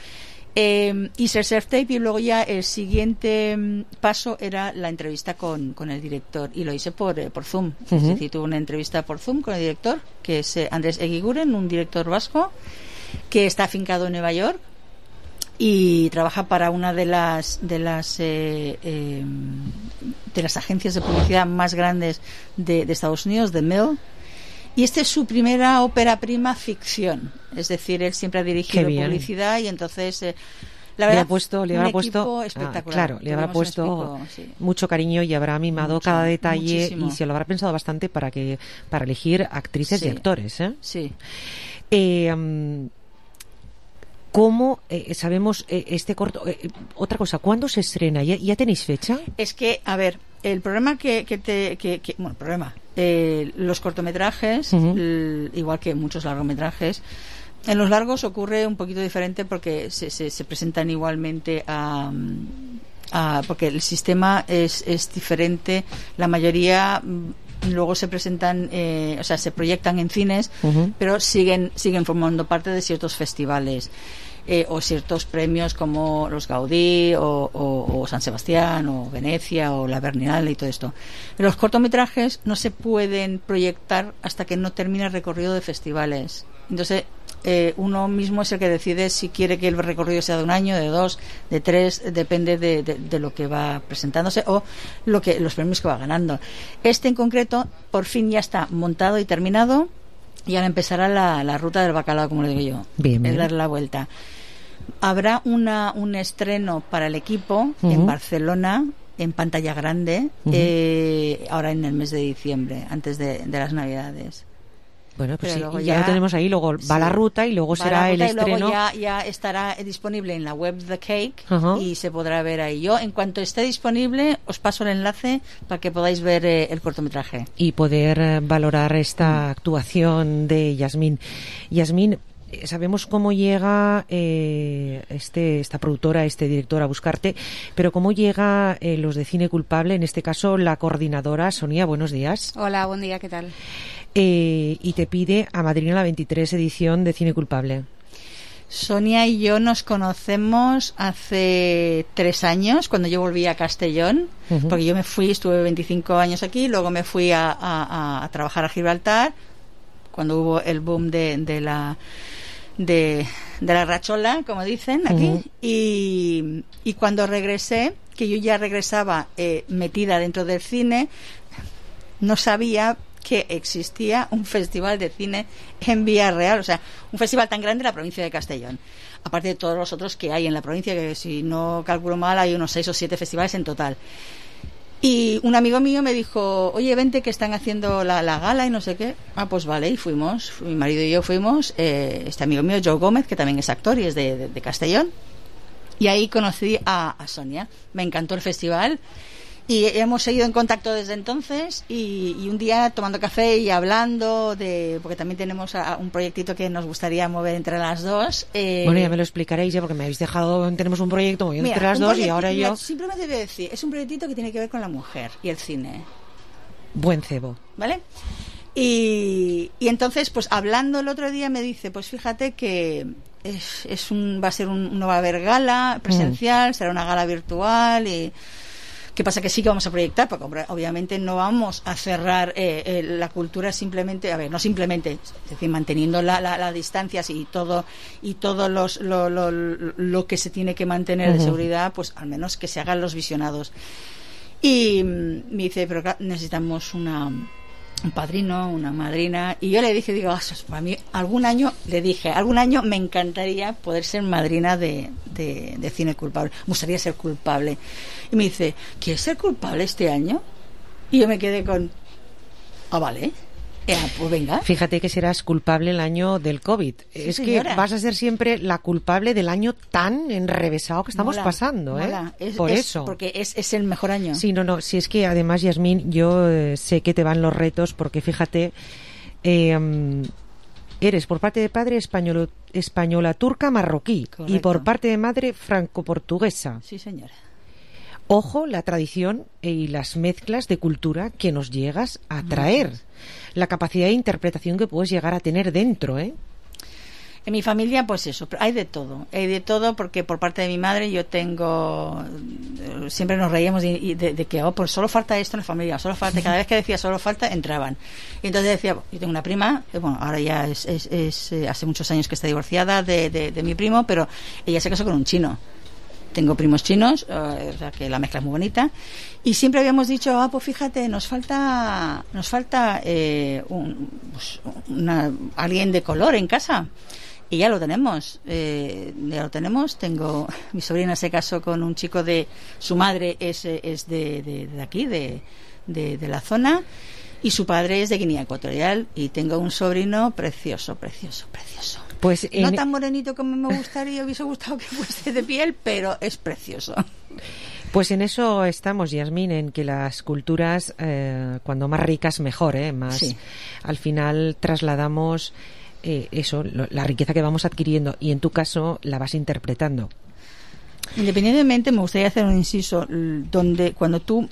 Hice el self-tape y luego ya el siguiente paso era la entrevista con el director, y lo hice por Zoom. Es decir, tuve una entrevista por Zoom con el director, que es Andrés Eguiguren, un director vasco que está afincado en Nueva York y trabaja para una de las agencias de publicidad más grandes de Estados Unidos, The Mill. Y esta es su primera ópera prima ficción, es decir, él siempre ha dirigido publicidad y entonces la verdad le habrá puesto espectacular. Claro, le habrá puesto mucho cariño y habrá mimado mucho, cada detalle, muchísimo. Y se lo habrá pensado bastante para elegir actrices y actores, ¿eh? Sí. ¿Cómo sabemos este corto? Otra cosa, ¿cuándo se estrena? ¿Ya tenéis fecha? Es que, a ver, el problema los cortometrajes, igual que muchos largometrajes, en los largos ocurre un poquito diferente porque se presentan igualmente porque el sistema es diferente. La mayoría luego se presentan, se proyectan en cines, pero siguen formando parte de ciertos festivales. O ciertos premios como los Gaudí o San Sebastián o Venecia o la Berlinale y todo esto. Los cortometrajes no se pueden proyectar hasta que no termine el recorrido de festivales. Entonces uno mismo es el que decide si quiere que el recorrido sea de 1 año, de 2, de 3, depende de lo que va presentándose o los premios que va ganando. Este en concreto por fin ya está montado y terminado, y ahora empezará la ruta del bacalao, como le digo yo. Bien. Es dar la vuelta. Habrá un estreno para el equipo en Barcelona, en pantalla grande, ahora en el mes de diciembre, antes de las Navidades. Bueno, pues sí, ya lo tenemos ahí, luego va la ruta y luego será el estreno. Y luego ya estará disponible en la web The Cake y se podrá ver ahí. Yo, en cuanto esté disponible, os paso el enlace para que podáis ver el cortometraje. Y poder valorar esta actuación de Yasmín. Yasmín, sabemos cómo llega esta productora, este director a buscarte, pero cómo llega los de Cine Culpable, en este caso la coordinadora Sonia. Buenos días. Hola, buen día, ¿qué tal? Y te pide amadrinar la 23 edición de Cine Culpable. Sonia y yo nos conocemos hace 3 años, cuando yo volví a Castellón, porque yo me fui, estuve 25 años aquí, luego me fui a trabajar a Gibraltar, cuando hubo el boom de la rachola, como dicen aquí, y cuando regresé, que yo ya regresaba metida dentro del cine, no sabía que existía un festival de cine en Villarreal, o sea, un festival tan grande en la provincia de Castellón, aparte de todos los otros que hay en la provincia, que si no calculo mal hay unos 6 o 7 festivales en total. Y un amigo mío me dijo, oye, vente que están haciendo la gala y no sé qué. Pues vale, y fuimos, mi marido y yo fuimos, este amigo mío, Joe Gómez, que también es actor y es de Castellón, y ahí conocí a Sonia. Me encantó el festival y hemos seguido en contacto desde entonces, y un día tomando café y hablando porque también tenemos un proyectito que nos gustaría mover entre las dos. Bueno, ya me lo explicaréis porque me habéis dejado, tenemos un proyecto moviendo entre las dos y ahora yo... Simplemente voy a decir, es un proyectito que tiene que ver con la mujer y el cine. Buen cebo. ¿Vale? Y entonces, pues hablando el otro día me dice, pues fíjate que no va a haber gala presencial, será una gala virtual. Y ¿qué pasa? Que sí que vamos a proyectar, porque obviamente no vamos a cerrar la cultura simplemente, no simplemente, es decir, manteniendo las distancias y todo lo que se tiene que mantener de seguridad, pues al menos que se hagan los visionados. Y me dice, pero claro, necesitamos un padrino, una madrina. Y yo le dije, para mí algún año me encantaría poder ser madrina de cine culpable, me gustaría ser culpable. Y me dice, ¿quieres ser culpable este año? Y yo me quedé con, vale, pues venga. Fíjate que serás culpable el año del COVID. Sí, es señora. Que vas a ser siempre la culpable del año tan enrevesado que estamos pasando, mola. Por eso. Porque es el mejor año. Sí, no, si es que además, Yasmín, yo sé que te van los retos, porque fíjate, eres por parte de padre española turca marroquí. Correcto. Y por parte de madre franco-portuguesa. Sí, señora. Ojo, la tradición y las mezclas de cultura que nos llegas a traer. La capacidad de interpretación que puedes llegar a tener dentro, ¿eh? En mi familia, pues eso, hay de todo porque por parte de mi madre yo tengo, siempre nos reíamos de que pues solo falta esto en la familia, solo falta, cada vez que decía solo falta, entraban. Y entonces decía, yo tengo una prima, ahora ya es hace muchos años que está divorciada de mi primo, pero ella se casó con un chino. Tengo primos chinos, o sea que la mezcla es muy bonita, y siempre habíamos dicho, pues fíjate, nos falta alguien de color en casa, y ya lo tenemos. Tengo, mi sobrina se casó con un chico de, su madre es de aquí, de la zona, y su padre es de Guinea Ecuatorial, y tengo un sobrino precioso. Pues no tan morenito como me gustaría, hubiese gustado que fuese de piel, pero es precioso. Pues en eso estamos, Yasmín, en que las culturas, cuando más ricas, mejor, más. Sí. Al final trasladamos la riqueza que vamos adquiriendo, y en tu caso la vas interpretando. Independientemente, me gustaría hacer un inciso donde cuando tú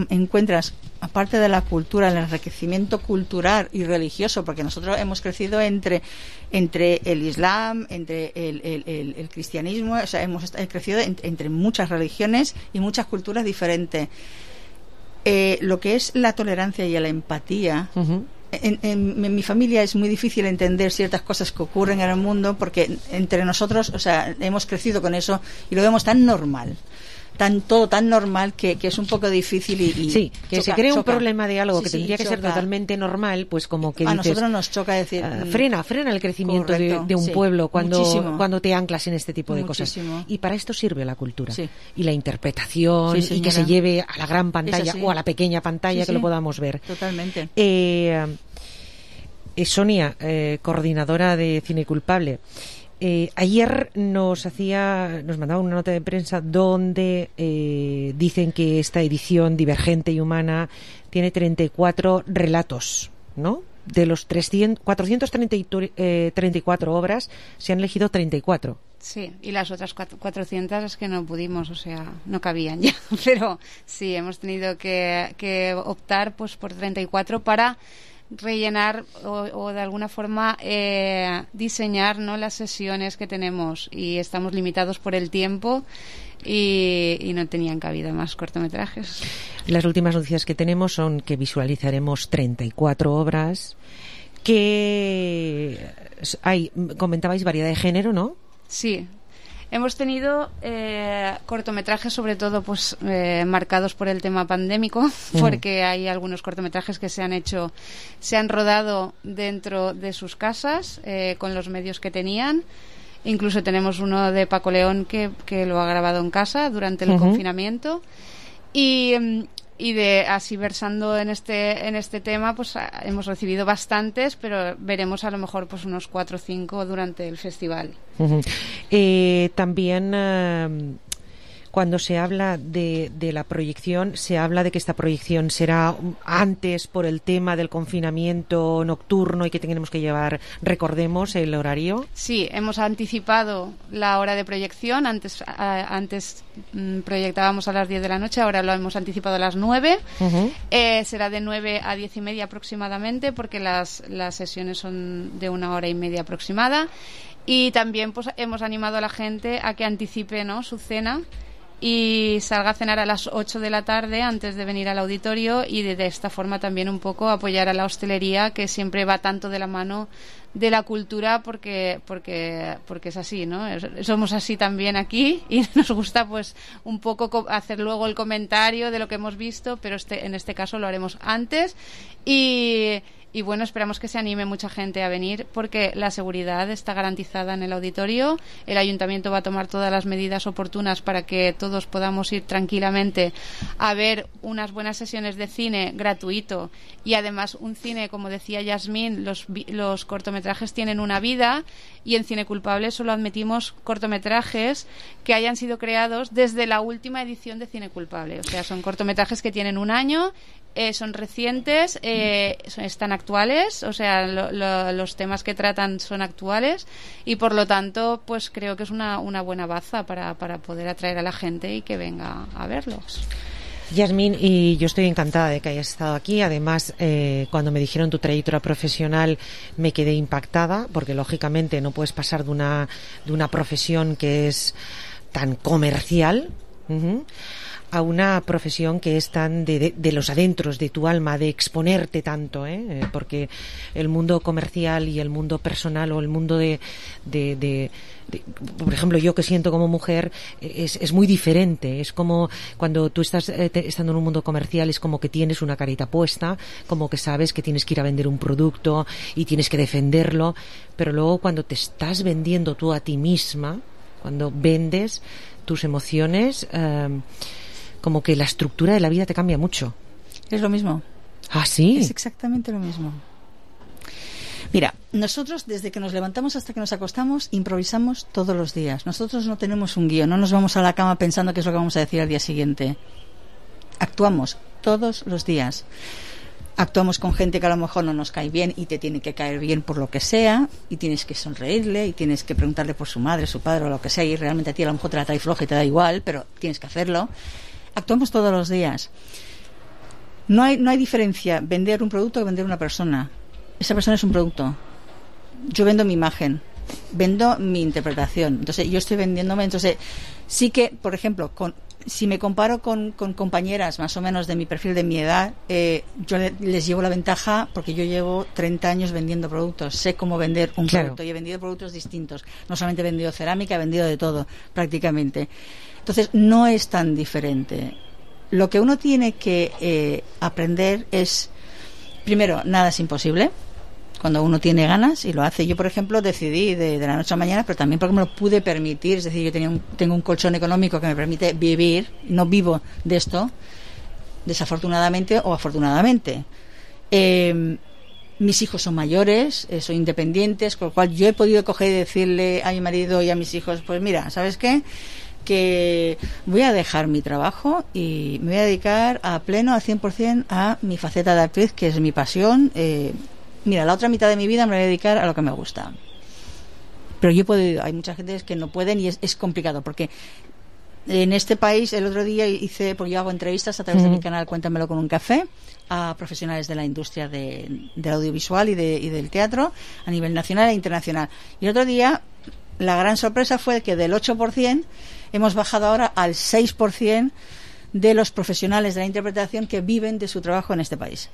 encuentras, aparte de la cultura, el enriquecimiento cultural y religioso, porque nosotros hemos crecido entre el Islam, entre el cristianismo, o sea, hemos crecido entre muchas religiones y muchas culturas diferentes. Lo que es la tolerancia y la empatía. En mi familia es muy difícil entender ciertas cosas que ocurren en el mundo, porque entre nosotros, o sea, hemos crecido con eso y lo vemos tan normal, todo tan normal que es un poco difícil y sí, que se cree un problema de algo que tendría que ser totalmente normal, pues como que a dices, nosotros nos choca decir frena el crecimiento de un pueblo cuando te anclas en este tipo de cosas, y para esto sirve la cultura y la interpretación, y que se lleve a la gran pantalla o a la pequeña pantalla, que lo podamos ver totalmente. Sonia, coordinadora de Cine Culpable, ayer nos mandaba una nota de prensa donde dicen que esta edición divergente y humana tiene 34 relatos, ¿no? De los 434 obras se han elegido 34. Sí, y las otras 400 es que no pudimos, o sea, no cabían ya. Pero sí, hemos tenido que optar pues por 34 para rellenar o de alguna forma diseñar, ¿no?, las sesiones que tenemos, y estamos limitados por el tiempo y no tenían cabida más cortometrajes. Las últimas noticias que tenemos son que visualizaremos 34 obras, que comentabais variedad de género, ¿no? Sí. Hemos tenido cortometrajes, sobre todo pues marcados por el tema pandémico, porque hay algunos cortometrajes que se han rodado dentro de sus casas con los medios que tenían. Incluso tenemos uno de Paco León que lo ha grabado en casa durante el confinamiento. Y de así versando en este tema, pues hemos recibido bastantes, pero veremos a lo mejor pues unos 4 o 5 durante el festival. También, cuando se habla de la proyección, se habla de que esta proyección será antes por el tema del confinamiento nocturno y que tenemos que llevar, recordemos, el horario. Sí, hemos anticipado la hora de proyección. Antes proyectábamos a las 10 de la noche, ahora lo hemos anticipado a las 9. Será de 9 a 10 y media aproximadamente, porque las sesiones son de 1 hora y media aproximada. Y también pues hemos animado a la gente a que anticipe, ¿no?, su cena y salga a cenar a las 8 de la tarde antes de venir al auditorio, y de esta forma también un poco apoyar a la hostelería, que siempre va tanto de la mano de la cultura, porque es así, ¿no? Somos así también aquí, y nos gusta pues un poco hacer luego el comentario de lo que hemos visto, pero en este caso lo haremos antes. Y bueno, esperamos que se anime mucha gente a venir, porque la seguridad está garantizada en el auditorio. El ayuntamiento va a tomar todas las medidas oportunas para que todos podamos ir tranquilamente a ver unas buenas sesiones de cine gratuito, y además un cine, como decía Yasmín, los cortometrajes tienen una vida, y en Cine Culpable solo admitimos cortometrajes que hayan sido creados desde la última edición de Cine Culpable. O sea, son cortometrajes que tienen 1 año, son recientes, están actuales, o sea, los temas que tratan son actuales, y por lo tanto pues creo que es una buena baza para poder atraer a la gente y que venga a verlos. Yasmín, y yo estoy encantada de que hayas estado aquí. Además, cuando me dijeron tu trayectoria profesional me quedé impactada, porque lógicamente no puedes pasar de una profesión que es tan comercial a una profesión que es tan de los adentros de tu alma, de exponerte tanto, porque el mundo comercial y el mundo personal, o el mundo de por ejemplo, yo que siento como mujer, es muy diferente. Es como cuando tú estás estando en un mundo comercial, es como que tienes una carita puesta, como que sabes que tienes que ir a vender un producto y tienes que defenderlo, pero luego cuando te estás vendiendo tú a ti misma, cuando vendes tus emociones, como que la estructura de la vida te cambia mucho. Es lo mismo. ¿Ah, sí? Es exactamente lo mismo. Mira, nosotros desde que nos levantamos hasta que nos acostamos improvisamos todos los días. Nosotros no tenemos un guión, no nos vamos a la cama pensando qué es lo que vamos a decir al día siguiente. Actuamos todos los días. Actuamos con gente que a lo mejor no nos cae bien y te tiene que caer bien por lo que sea, y tienes que sonreírle y tienes que preguntarle por su madre, su padre o lo que sea, y realmente a ti a lo mejor te la trae floja y te da igual, pero tienes que hacerlo. Actuamos todos los días. No hay diferencia vender un producto que vender una persona. Esa persona es un producto. Yo vendo mi imagen, vendo mi interpretación. Entonces yo estoy vendiéndome. Entonces sí que, por ejemplo, si me comparo con compañeras más o menos de mi perfil, de mi edad, yo les llevo la ventaja porque yo llevo 30 años vendiendo productos. Sé cómo vender un producto, y he vendido productos distintos. No solamente he vendido cerámica, he vendido de todo prácticamente. Entonces no es tan diferente. Lo que uno tiene que aprender es, primero, nada es imposible cuando uno tiene ganas y lo hace. Yo, por ejemplo, decidí de la noche a la mañana, pero también porque me lo pude permitir. Es decir, yo tengo un colchón económico que me permite vivir. No vivo de esto, desafortunadamente o afortunadamente. Mis hijos son mayores, son independientes, con lo cual yo he podido coger y decirle a mi marido y a mis hijos, pues mira, ¿sabes qué? Que voy a dejar mi trabajo y me voy a dedicar a pleno, al 100% a mi faceta de actriz, que es mi pasión. Mira, la otra mitad de mi vida me voy a dedicar a lo que me gusta. Pero yo puedo, hay mucha gente que no pueden, y es complicado, porque en este país el otro día porque yo hago entrevistas a través de mi canal Cuéntamelo con un café a profesionales de la industria del audiovisual y del teatro a nivel nacional e internacional. Y el otro día la gran sorpresa fue que del 8% hemos bajado ahora al 6% de los profesionales de la interpretación que viven de su trabajo en este país.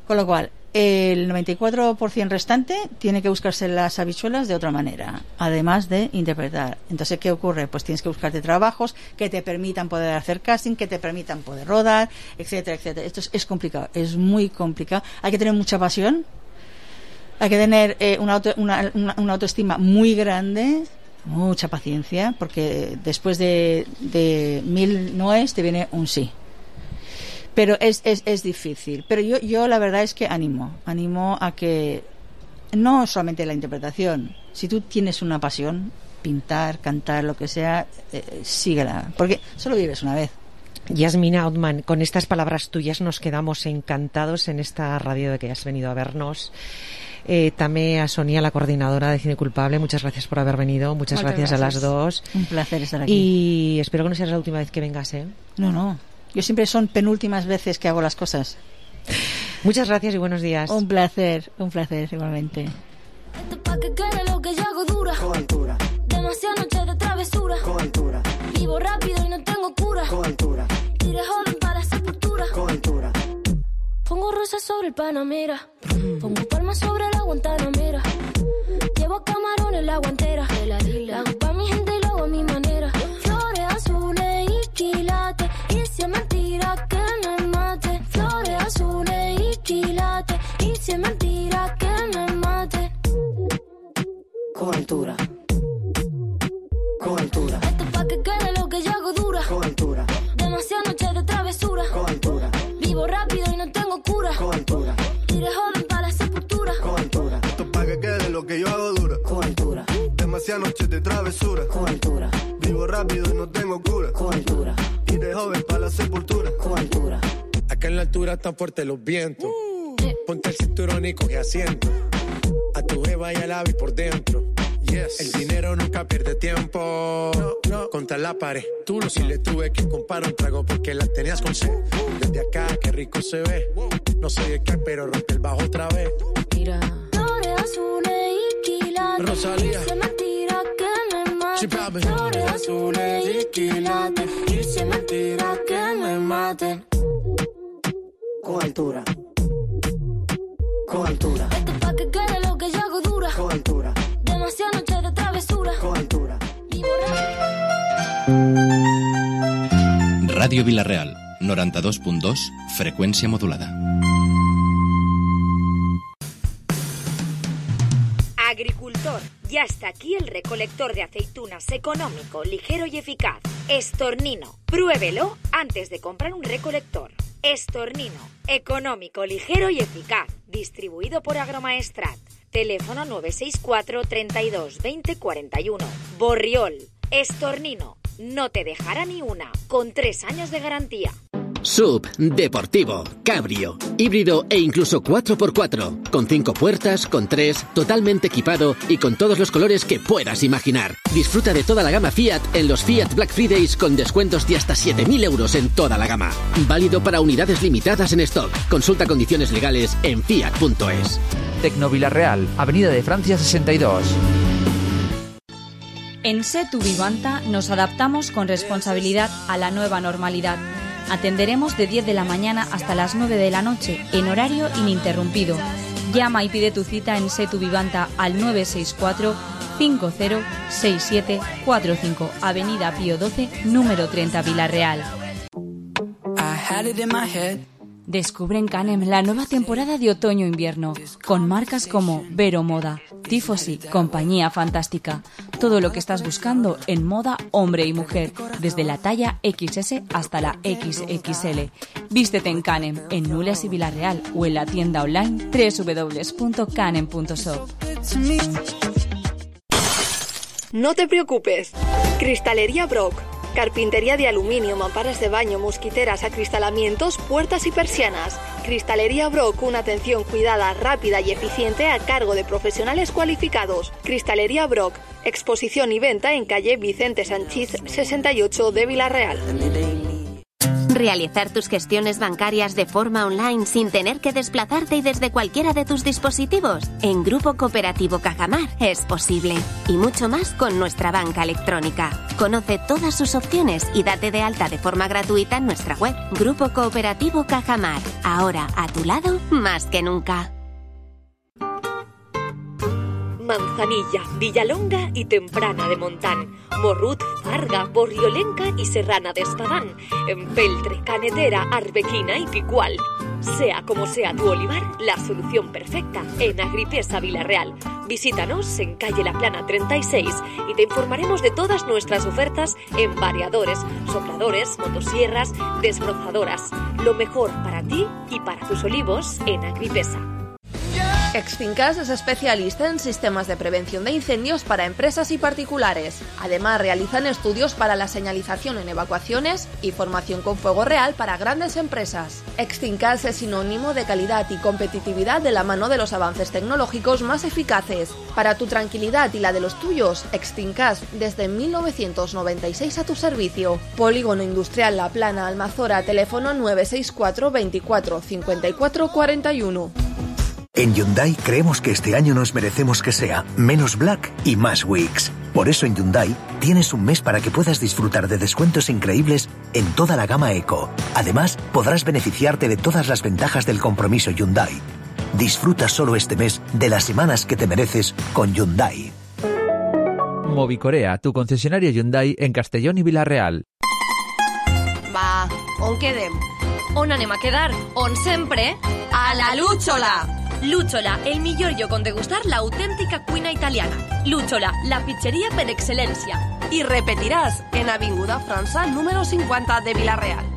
Con lo cual, el 94% restante tiene que buscarse las habichuelas de otra manera, además de interpretar. Entonces, ¿qué ocurre? Pues tienes que buscarte trabajos que te permitan poder hacer casting, que te permitan poder rodar, etcétera, etcétera. Esto es complicado, es muy complicado. Hay que tener mucha pasión, hay que tener una autoestima muy grande, mucha paciencia, porque después de 1000 noes te viene un sí. Pero es difícil. Pero yo la verdad es que animo a que no solamente la interpretación, si tú tienes una pasión, pintar, cantar, lo que sea, síguela, porque solo vives una vez. Yasmina Othman, con estas palabras tuyas nos quedamos encantados en esta radio de que has venido a vernos. También a Sonia, la coordinadora de Cine Culpable, muchas gracias por haber venido, muchas gracias a las dos. Un placer estar aquí. Y espero que no sea la última vez que vengas, ¿eh? No, yo siempre son penúltimas veces que hago las cosas. Muchas gracias y buenos días. Un placer igualmente. Esto pa' que quede lo que yo hago dura. Coventura, Demasiadas noches de travesura. coventura, Vivo rápido y no tengo cura. coventura, Tiré joven para la sepultura. coventura. Pongo rosas sobre el Panamera. Pongo palmas sobre la Guantanamera. Llevo camarones la guantera. La hago pa' mi gente y lo hago a mi manera. Flores azules y quilates. Y si es mentira que me mate. Flores azules y quilates. Y si es mentira que me mate. Coventura, coventura, Esto pa' que quede lo que yo hago dura. coventura, Demasiadas noches de travesura. coventura, Vivo rápido y no tengo cura. coventura, Tiré joven para la sepultura. coventura. Esto es pa' que quede lo que yo hago dura. Coventura. Demasiadas noches de travesura. Coventura. Vivo rápido y no tengo cura. Coventura. Iré joven para la sepultura. Coventura. Acá en la altura están fuertes los vientos. Ponte el cinturón y coge asiento. A tu jeva y al ave por dentro. Yes. El dinero nunca pierde tiempo. No. Contra la pared. Tú no. Si le tuve que comprar un trago porque la tenías con sed. Desde acá, qué rico se ve. No soy de qué, pero rompe el bajo otra vez. Mira. Flores azules y quilates. Rosalía. Y si es mentira que me mate. Sí, papi. Flores azules y quilates. Y si es mentira que me mate. Coventura. Coventura. Esto pa' que quede lo que yo hago dura. Coventura. Demasiadas noches de travesura. Coventura. Vivo Ràdio Vila-real, 92.2, freqüència modulada. Agricultor, ya está aquí el recolector de aceitunas económico, ligero y eficaz. Estornino, pruébelo antes de comprar un recolector. Estornino, económico, ligero y eficaz. Distribuido por Agromaestrat. Teléfono 964 32 20 41. Borriol, Estornino, no te dejará ni una, con 3 años de garantía. SUV, deportivo, cabrio, híbrido e incluso 4x4, con 5 puertas, con 3, totalmente equipado y con todos los colores que puedas imaginar. Disfruta de toda la gama Fiat en los Fiat Black Fridays con descuentos de hasta 7.000 euros en toda la gama. Válido para unidades limitadas en stock. Consulta condiciones legales en fiat.es. Tecno Vila-real, Avenida de Francia 62. En Setu Vivanta nos adaptamos con responsabilidad a la nueva normalidad. Atenderemos de 10 de la mañana hasta las 9 de la noche, en horario ininterrumpido. Llama y pide tu cita en Setu Vivanta al 964 506745, Avenida Pío 12, número 30, Vila-real. Descubre en Canem la nueva temporada de otoño-invierno, con marcas como Vero Moda, Tifosi, Compañía Fantástica. Todo lo que estás buscando en moda hombre y mujer, desde la talla XS hasta la XXL. Vístete en Canem, en Nules y Vila-real, o en la tienda online www.canem.shop. No te preocupes. Cristalería Brock. Carpintería de aluminio, mamparas de baño, mosquiteras, acristalamientos, puertas y persianas. Cristalería Brock, una atención cuidada, rápida y eficiente a cargo de profesionales cualificados. Cristalería Brock, exposición y venta en calle Vicente Sanchís 68 de Vila-real. Realizar tus gestiones bancarias de forma online sin tener que desplazarte y desde cualquiera de tus dispositivos. En Grupo Cooperativo Cajamar es posible. Y mucho más con nuestra banca electrónica. Conoce todas sus opciones y date de alta de forma gratuita en nuestra web. Grupo Cooperativo Cajamar. Ahora a tu lado más que nunca. Manzanilla, Villalonga y Temprana de Montán, Morrut, Farga, Borriolenca y Serrana de Espadán, Empeltre, Canetera, Arbequina y Picual. Sea como sea tu olivar, la solución perfecta en Agripesa Vila-real. Visítanos en calle La Plana 36 y te informaremos de todas nuestras ofertas en variadores, sopladores, motosierras, desbrozadoras. Lo mejor para ti y para tus olivos en Agripesa. Extincas es especialista en sistemas de prevención de incendios para empresas y particulares. Además, realizan estudios para la señalización en evacuaciones y formación con fuego real para grandes empresas. Extincas es sinónimo de calidad y competitividad de la mano de los avances tecnológicos más eficaces. Para tu tranquilidad y la de los tuyos, Extincas desde 1996 a tu servicio. Polígono Industrial La Plana, Almazora, teléfono 964 24 54 41. En Hyundai creemos que este año nos merecemos que sea menos Black y más Weeks. Por eso en Hyundai tienes un mes para que puedas disfrutar de descuentos increíbles en toda la gama Eco. Además, podrás beneficiarte de todas las ventajas del compromiso Hyundai. Disfruta solo este mes de las semanas que te mereces con Hyundai. Movicorea, tu concesionario Hyundai en Castellón i Vila-real. Va, on quedem? On anem a quedar? On sempre? A la Lúchola! Lúchola, el millor lloc on degustar l'autèntica cuina italiana. Lúchola, la pizzeria per excel·lència. I repetiràs en Avinguda França, número 50 de Vila-real.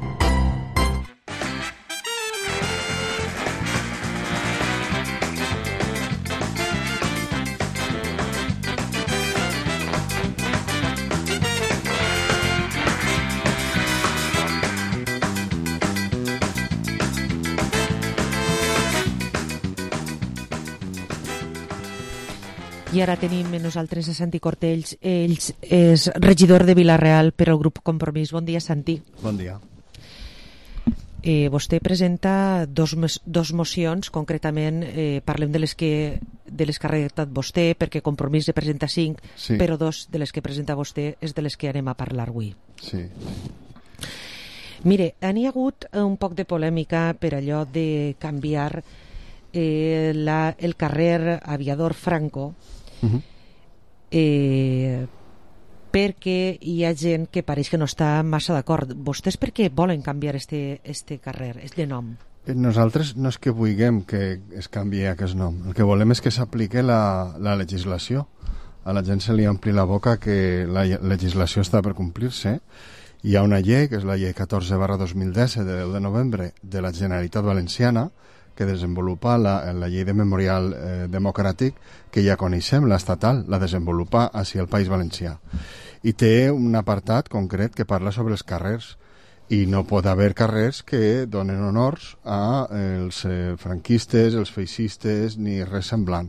I ara tenim nosaltres a Santi Cortells. Ell és regidor de Vila-real per al grup Compromís. Bon dia, Santi. Bon dia. Vostè presenta dos mocions, concretament parlem de les que ha redactat vostè, perquè Compromís ne presenta 5, sí. Però 2 de les que presenta vostè és de les que anem a parlar avui. Sí. Mire, n'hi ha hagut un poc de polèmica per allò de canviar el carrer Aviador Franco, perquè hi ha gent que pareix que no està massa d'acord. Vostès per què volen canviar este carrer, este nom? Nosaltres no és que vulguem que es canviï aquest nom. El que volem és que s'apliqui la legislació. A la gent se li ompli la boca que la legislació està per complir-se. Hi ha una llei, que és la llei 14/2010 de 10 de novembre de la Generalitat Valenciana, que desenvolupa la llei de memorial democràtic que ja coneixem, l'estatal, la desenvolupa així al País Valencià. I té un apartat concret que parla sobre els carrers, i no pot haver carrers que donen honors als franquistes, els feixistes, ni res semblant.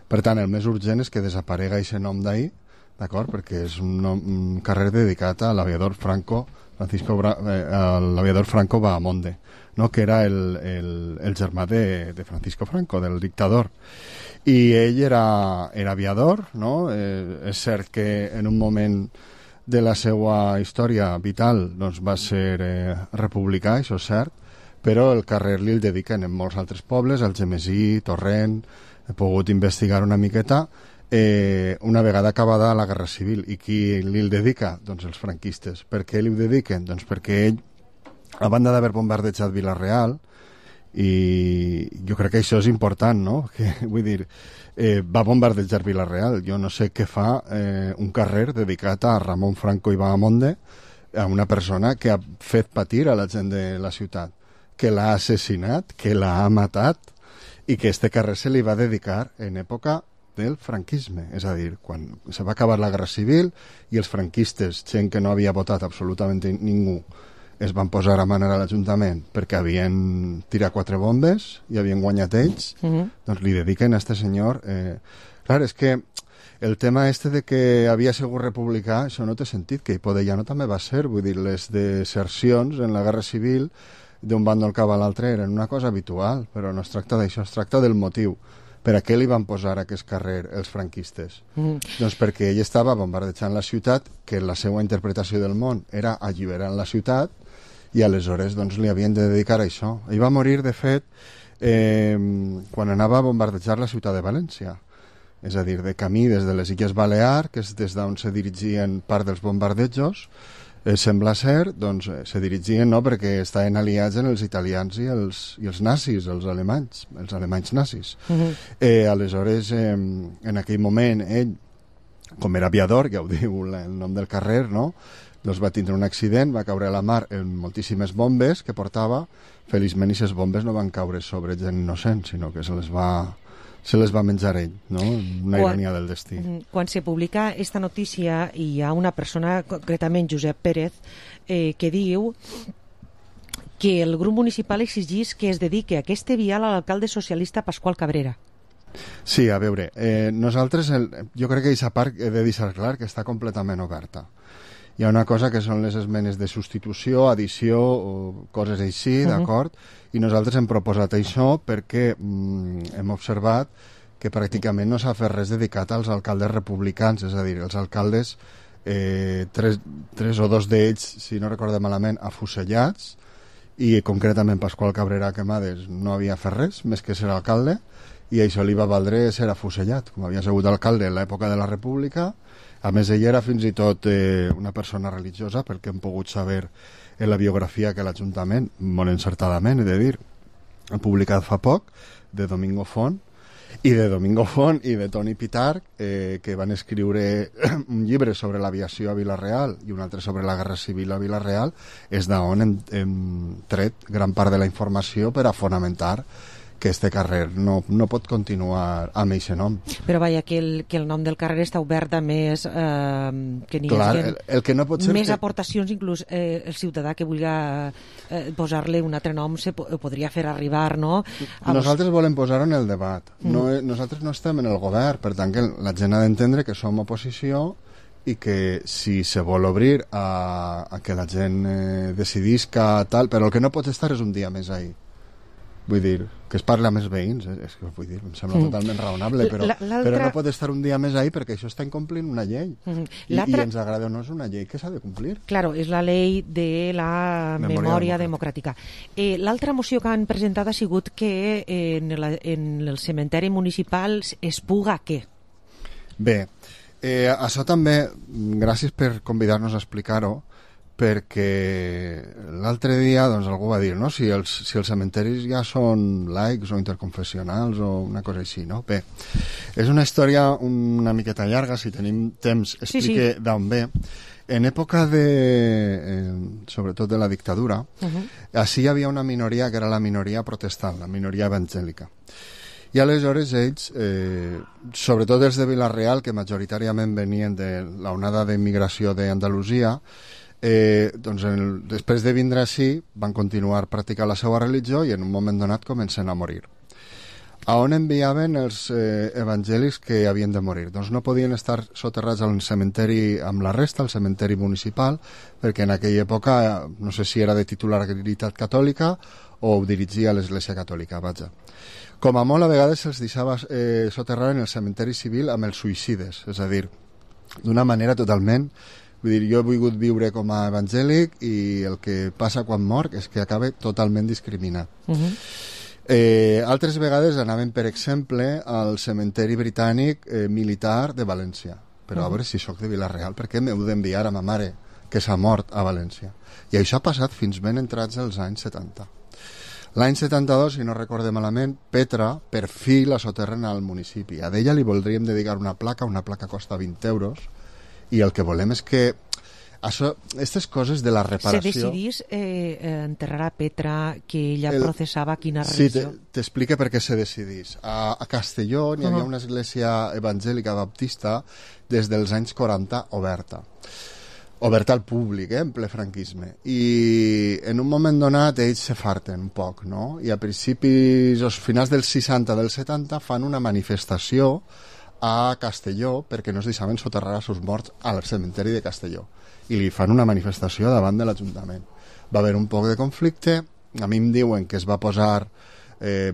Per tant, el més urgent és que desaparega aquest nom d'ahir, d'acord? Perquè és un carrer dedicat a l'aviador Franco, l'aviador Franco Bahamonde, no? Que era el germà de Francisco Franco, del dictador. I ell era aviador, no? És cert que en un moment de la seva història vital doncs, va ser republicà, això és cert, però el carrer li el dediquen en molts altres pobles, Algemesí, Torrent. He pogut investigar una miqueta. Una vegada acabada la Guerra Civil. I qui li el dedica? Doncs els franquistes. Per què li ho dediquen? Doncs perquè ell, a banda d'haver bombardejat Vila-real, i jo crec que això és important, no? Que, vull dir, va bombardejar Vila-real. Jo no sé què fa un carrer dedicat a Ramon Franco i Bahamonde, a una persona que ha fet patir a la gent de la ciutat, que l'ha assassinat, que l'ha matat, i que este carrer se li va dedicar en època del franquisme, és a dir, quan se va acabar la Guerra Civil i els franquistes, gent que no havia votat absolutament ningú, es van posar a manar a l'Ajuntament perquè havien tirat 4 bombes i havien guanyat ells, doncs li dediquen a este senyor. Clar, és que el tema este de que havia sigut republicà, això no té sentit, que Hipodellano també va ser, vull dir, les desercions en la Guerra Civil d'un bàndol cap a l'altre eren una cosa habitual, però no es tracta d'això, es tracta del motiu. Per a què li van posar aquest carrer els franquistes? Doncs perquè ell estava bombardejant la ciutat, que la seva interpretació del món era alliberant la ciutat, i aleshores doncs, li havien de dedicar a això. Ell va morir, de fet, quan anava a bombardejar la ciutat de València. És a dir, de camí des de les Illes Balears, que és des d'on se dirigien part dels bombardejos, sembla ser, doncs, se dirigien, no?, perquè estaven aliats en els italians i els nazis, els alemanys nazis. Aleshores, en aquell moment, ell, com era aviador, ja ho diu el nom del carrer, no?, doncs va tindre un accident, va caure a la mar en moltíssimes bombes que portava. Feliçment, aquestes bombes no van caure sobre gent innocent, sinó que se les va se les va menjar ell, no? Una ironia del destí. Quan se publica esta notícia, hi ha una persona, concretament Josep Pérez, que diu que el grup municipal exigís que es dedique aquesta vial a l'alcalde socialista Pasqual Cabrera. Sí, a veure, nosaltres, jo crec que aquesta part he de deixar clar que està completament oberta. Hi ha una cosa que són les esmenes de substitució, addició o coses així, d'acord? I nosaltres hem proposat això perquè hem observat que pràcticament no s'ha fet res dedicat als alcaldes republicans, és a dir, els alcaldes, tres o dos d'ells, si no recorde malament, afusellats, i concretament Pasqual Cabrera Quemades no havia fet res, més que ser alcalde, i això li va valdre ser afusellat, com havia sigut alcalde en l'època de la República. A més, ell era fins i tot una persona religiosa, perquè hem pogut saber en la biografia que l'Ajuntament, molt encertadament, he de dir, ha publicat fa poc, de Domingo Font i de Toni Pitarch, que van escriure un llibre sobre l'aviació a Vila-real i un altre sobre la Guerra Civil a Vila-real, és d'on hem tret gran part de la informació per a fonamentar que este carrer no pot continuar amb aquest nom. Però vaja, que el nom del carrer està obert a més que n'hi hagi el que no pot ser més aportacions, inclús el ciutadà que vulgui posar-li un altre nom ho podria fer arribar, no? Nosaltres volem posar-ho en el debat. Nosaltres no estem en el govern, per tant que la gent ha d'entendre que som oposició i que si se vol obrir a que la gent decidisca tal, però el que no pot estar és un dia més ahí. Vull dir, que es parla amb els veïns, vull dir, em sembla totalment raonable, però no pot estar un dia més ahí perquè això està incomplint una llei. I ens agrada o no, és una llei que s'ha de complir. Claro, és la llei de la memòria democràtica. L'altra moció que han presentat ha sigut que en el cementeri municipal es puga què? Bé, això també, gràcies per convidar-nos a explicar-ho, perquè l'altre dia doncs, algú va dir, no? Si els cementeris ja són laics o interconfessionals o una cosa així, no? Bé, és una història una miqueta llarga, si tenim temps explique d'on ve. En època sobretot de la dictadura, així hi havia una minoria que era la minoria protestant, la minoria evangèlica. I aleshores ells, sobretot els de Vila-real, que majoritàriament venien de l'onada d'immigració d'Andalusia, doncs després de vindre així van continuar practicant la seva religió i en un moment donat comencen a morir. A on enviaven els evangèlics que havien de morir? Doncs no podien estar soterrats al cementeri amb la resta, al cementeri municipal, perquè en aquella època no sé si era de titularitat catòlica o ho dirigia a l'Església Catòlica, vaja. Com a molt a vegades se'ls deixava soterrar en el cementeri civil amb els suïcides, és a dir, d'una manera totalment... Vull dir, jo he volgut viure com a evangèlic i el que passa quan mor és que acaba totalment discriminat. Altres vegades anaven, per exemple, al cementeri britànic militar de València. Però a veure, si sóc de Vila-real, per què m'heu d'enviar a ma mare que s'ha mort a València? I això ha passat fins ben entrats els anys 70. L'any 72, si no recorde malament, Petra per fi la soterren al municipi. A ella li voldríem dedicar una placa costa 20 euros, i el que volem és que aquestes coses de la reparació... Se decidís enterrar a Petra, que ella processava quina religió? Sí, t'explica per què se decidís. A Castelló n'hi havia una església evangèlica baptista des dels anys 40 oberta al públic, en ple franquisme. I en un moment donat ells se farten un poc, no? I a principis, als finals dels 60, dels 70, fan una manifestació a Castelló perquè no es deixaven soterrar els seus morts al cementeri de Castelló i li fan una manifestació davant de l'Ajuntament. Va haver un poc de conflicte, a mi em diuen que es va posar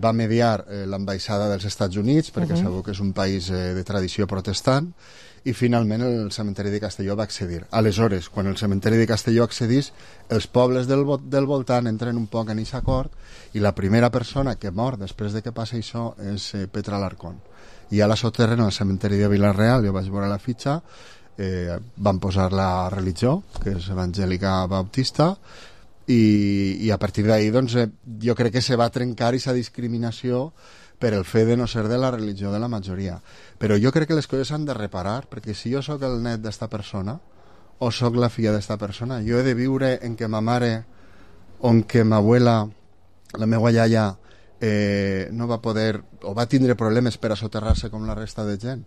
va mediar l'ambaixada dels Estats Units perquè sabeu que és un país de tradició protestant i finalment el cementeri de Castelló va accedir. Aleshores, quan el cementeri de Castelló accedís, els pobles del voltant entren un poc en aquest acord i la primera persona que mor després de que passa això és Petra Alarcón. I a la soterren al cementeri de Vila-real, jo vaig veure la fitxa, van posar la religió, que és evangèlica baptista, i a partir d'ahir doncs, jo crec que se va trencar aquesta discriminació per el fet de no ser de la religió de la majoria. Però jo crec que les coses s'han de reparar, perquè si jo sóc el net d'esta persona, o sóc la filla d'esta persona, jo he de viure en què ma mare o en què ma abuela, la meva iaia, no va poder, o va tindre problemes per a soterrar-se com la resta de gent,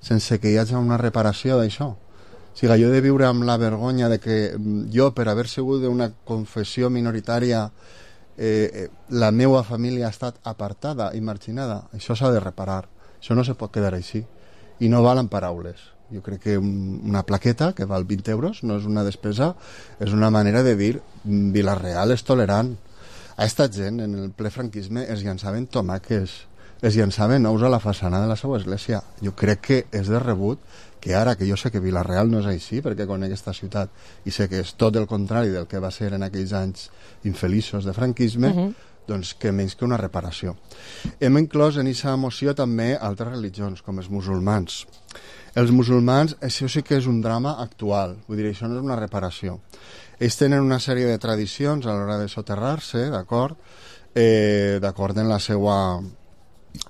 sense que hi hagi una reparació d'això. O sigui, jo he de viure amb la vergonya de que jo, per haver sigut d'una confessió minoritària, la meva família ha estat apartada i marginada. Això s'ha de reparar. Això no se pot quedar així. I no valen paraules. Jo crec que una plaqueta que val 20 euros no és una despesa, és una manera de dir Vila-real és tolerant. A esta gent, en el ple franquisme, es llançaven tomàquets, es llançaven ous a la façana de la seva església. Jo crec que és de rebut que ara, que jo sé que Vila-real no és així, perquè conec aquesta ciutat i sé que és tot el contrari del que va ser en aquells anys infeliços de franquisme, doncs que menys que una reparació. Hem inclòs en aquesta moció també altres religions, com els musulmans. Els musulmans, això sí que és un drama actual, vull dir, això no és una reparació. Ells tenen una sèrie de tradicions a l'hora de soterrar-se, d'acord en la seva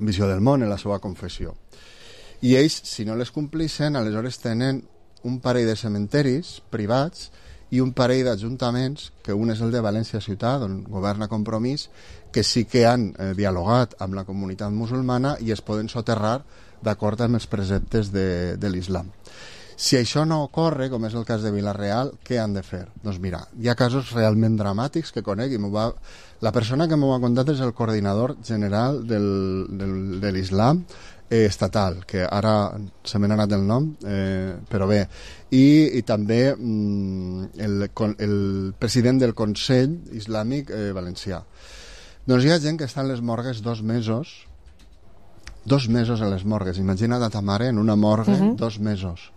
visió del món, en la seva confessió. I ells, si no les complixen, aleshores tenen un parell de cementeris privats i un parell d'ajuntaments, que un és el de València Ciutat, on governa Compromís, que sí que han dialogat amb la comunitat musulmana i es poden soterrar d'acord amb els preceptes de l'islam. Si això no ocorre, com és el cas de Vila-real, què han de fer? Doncs mira, hi ha casos realment dramàtics que conec i la persona que m'ho ha contat és el coordinador general de l'islam estatal, que ara se m'ha anat el nom, però bé, i també el president del Consell Islàmic Valencià. Doncs hi ha gent que està en les morgues 2 mesos a les morgues. Imagina't a ta mare en una morgue 2 mesos,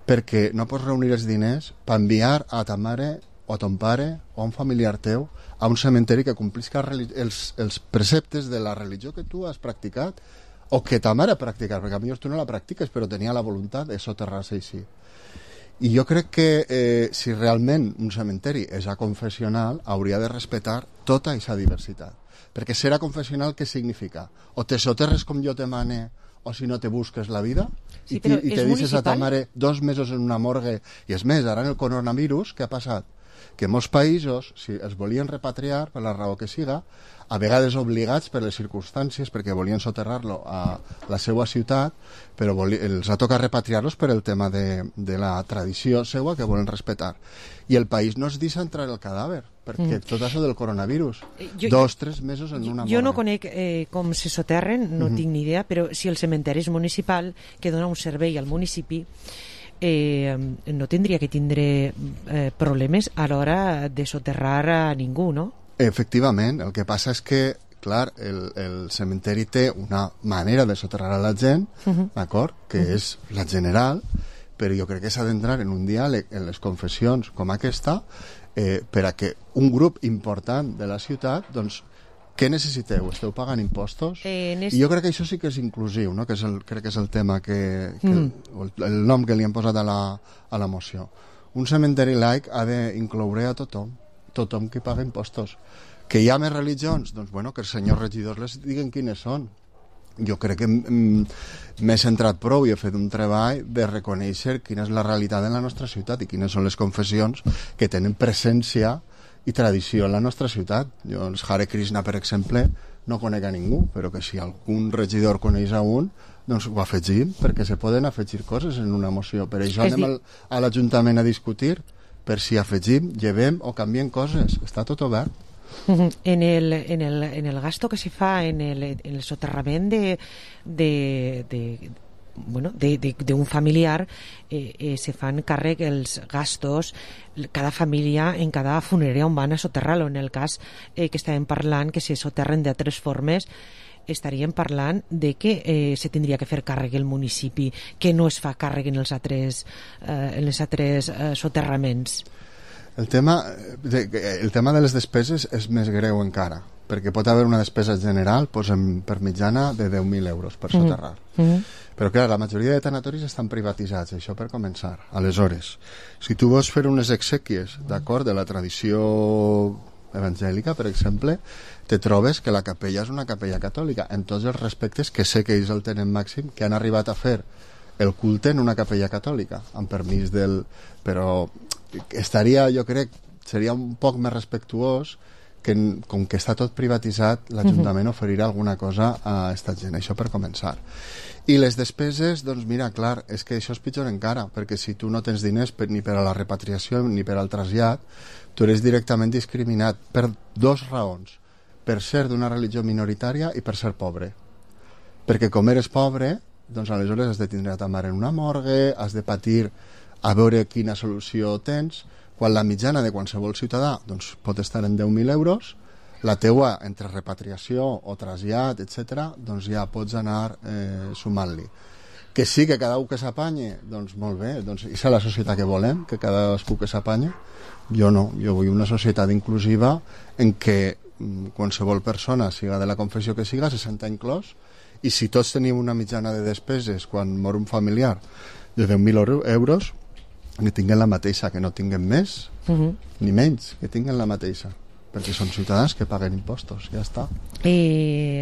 perquè no pots reunir els diners per enviar a ta mare o a ton pare o a un familiar teu a un cementeri que complisca els preceptes de la religió que tu has practicat o que ta mare ha practicat, perquè potser tu no la practiques però tenia la voluntat de soterrar-se així. I jo crec que si realment un cementeri és aconfessional hauria de respectar tota aquesta diversitat, perquè ser aconfessional què significa? O te soterres com jo te mane o si no te busques la vida i te dices a ta mare 2 mesos en una morgue. I és més, ara en el coronavirus què ha passat? Que molts països, si els volien repatriar per la raó que siga, a vegades obligats per les circumstàncies, perquè volien soterrar-lo a la seva ciutat, però els ha tocat repatriar-los per el tema de la tradició seva que volen respectar. I el país no es deixa entrar el cadàver, perquè tot això del coronavirus, 2-3 mesos en una morgue. Jo no conec com se soterren, no tinc ni idea, però si el cementeri és municipal, que dona un servei al municipi, no tindria que tindre problemes a l'hora de soterrar a ningú, no? Efectivament, el que passa és que, clar, el cementeri té una manera de soterrar a la gent, d'acord, que és la general, però jo crec que s'ha d'entrar en un diàleg en les confessions com aquesta per a que un grup important de la ciutat, doncs, què necessiteu? Esteu pagant impostos? I jo crec que això sí que és inclusiu, no? Crec que és el tema el nom que li han posat a la moció. Un cementeri laic ha d'incloure a tothom que paga impostos. Que hi ha més religions? Doncs bueno, que els senyors regidors les diguen quines són. Jo crec que m'he centrat prou i he fet un treball de reconèixer quina és la realitat de la nostra ciutat i quines són les confessions que tenen presència i tradició en la nostra ciutat. Jo, els Hare Krishna, per exemple, no conec a ningú, però que si algun regidor coneix a un, doncs ho afegim, perquè se poden afegir coses en una moció. Per això anem a l'Ajuntament a discutir per si afegim, llevem o canviem coses. Està tot obert. En el gasto que se fa en el soterrament d'un familiar se fan càrrec els gastos cada família en cada funerària on van a soterrar-lo. En el cas que estàvem parlant que se soterren de 3 formes, estaríem parlant de que se tindria que fer càrrec el municipi, que no es fa càrrec en els altres soterraments. El tema de les despeses és més greu encara, perquè pot haver una despesa general per mitjana de 10.000 euros per soterrar. Però clar, la majoria de tanatoris estan privatitzats, això per començar. Aleshores, si tu vols fer unes exèquies, d'acord, de la tradició evangèlica, per exemple, te trobes que la capella és una capella catòlica, en tots els respectes que sé que ells el tenen màxim, que han arribat a fer el culte en una capella catòlica, amb permís però estaria, jo crec, seria un poc més respectuós que com que està tot privatitzat, l'Ajuntament oferirà alguna cosa a esta gent, això per començar. I les despeses, doncs mira, clar, és que això és pitjor encara, perquè si tu no tens diners ni per a la repatriació ni per al trasllat, tu eres directament discriminat per dues raons, per ser d'una religió minoritària i per ser pobre. Perquè com eres pobre, doncs aleshores has de tindre a ta mare en una morgue, has de patir a veure quina solució tens, quan la mitjana de qualsevol ciutadà doncs, pot estar en 10.000 euros, la teua entre repatriació o trasllat, etc., doncs ja pots anar sumant-li. Que sí que cada un que s'apanye, doncs molt bé, doncs és la societat que volem, que cadascú que s'apanye. Jo no, jo vull una societat inclusiva en què qualsevol persona, siga de la confessió que siga, se senta inclòs, i si tots tenim una mitjana de despeses quan mor un familiar de 10.000 euros, que tinguen la mateixa, que no tinguen més ni menys, que tinguen la mateixa, perquè són ciutadans que paguen impostos, ja està.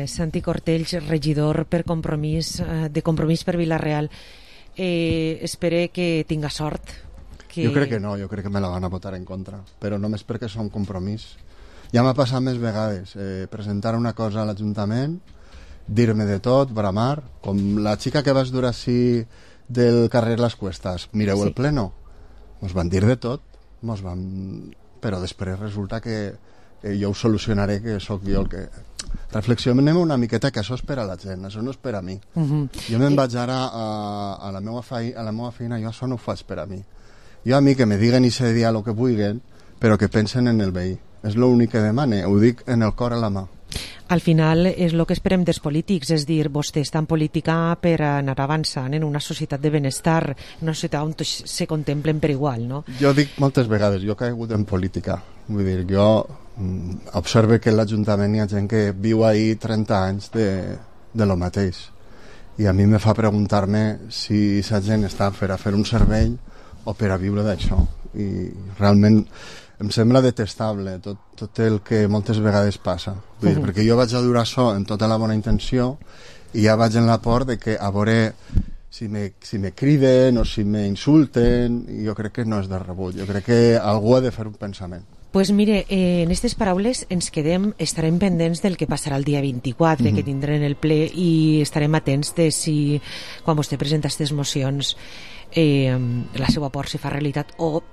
Santi Cortells, regidor per Compromís, de Compromís per Vila-real, espero que tinga sort. Jo crec que no, jo crec que me la van a votar en contra, però només perquè som Compromís. Ja m'ha passat més vegades presentar una cosa a l'Ajuntament, dir-me de tot, bramar, com la xica que vas dur així del carrer Les Cuestas, mireu el pleno, mos van dir de tot, però després resulta que jo ho solucionaré, que sóc jo el que... Reflexionem una miqueta, que això és per a la gent, això no és per a mi. Jo me'n vaig ara a la meva feina, jo això no ho faig per a mi. Jo a mi que me diguen i se dia el que vulguin, però que pensen en el veí. És l'únic que demane, ho dic en el cor a la mà. Al final és el que esperem dels polítics, és dir, vostè està en política per anar avançant en una societat de benestar, una societat on tots se contemplen per igual, no? Jo dic moltes vegades, jo he caigut en política, vull dir, jo observe que a l'Ajuntament hi ha gent que viu ahí 30 anys de lo mateix, i a mi me fa preguntar-me si aquesta gent està per a fer un servei o per a viure d'això, i realment em sembla detestable tot el que moltes vegades passa. Vull dir, perquè jo vaig a dur això en tota la bona intenció i ja vaig en la por de que a veure si me criden o si me insulten, i jo crec que no és de rebut. Jo crec que algú ha de fer un pensament. Pues mire, en aquestes paraules ens quedem, estarem pendents del que passarà el dia 24, que tindrem el ple, i estarem atents de si, quan vostè presenta aquestes mocions, la seva por se fa realitat, o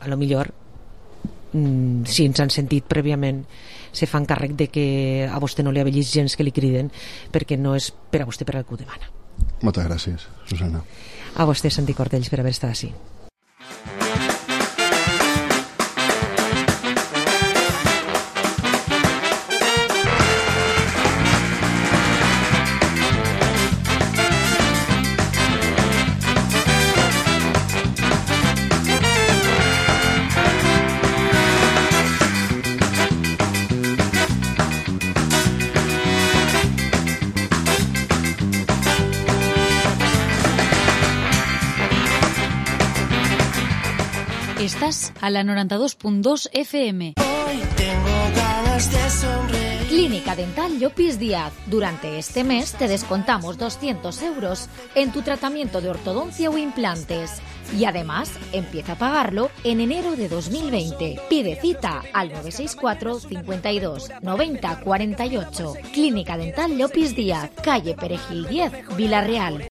a lo millor si ens han sentit prèviament se fan càrrec de que a vostè no li ha vellit gens que li criden, perquè no és per a vostè per al que ho demana. Moltes gràcies, Susana. A vostè, Santi Cortells, per haver estat així. Estás a la 92.2 FM. Hoy tengo ganas de sonreír. Clínica Dental Llopis Díaz. Durante este mes te descontamos 200 euros en tu tratamiento de ortodoncia o implantes. Y además, empieza a pagarlo en enero de 2020. Pide cita al 964 52 90 48. Clínica Dental Llopis Díaz, calle Perejil 10, Vila-real.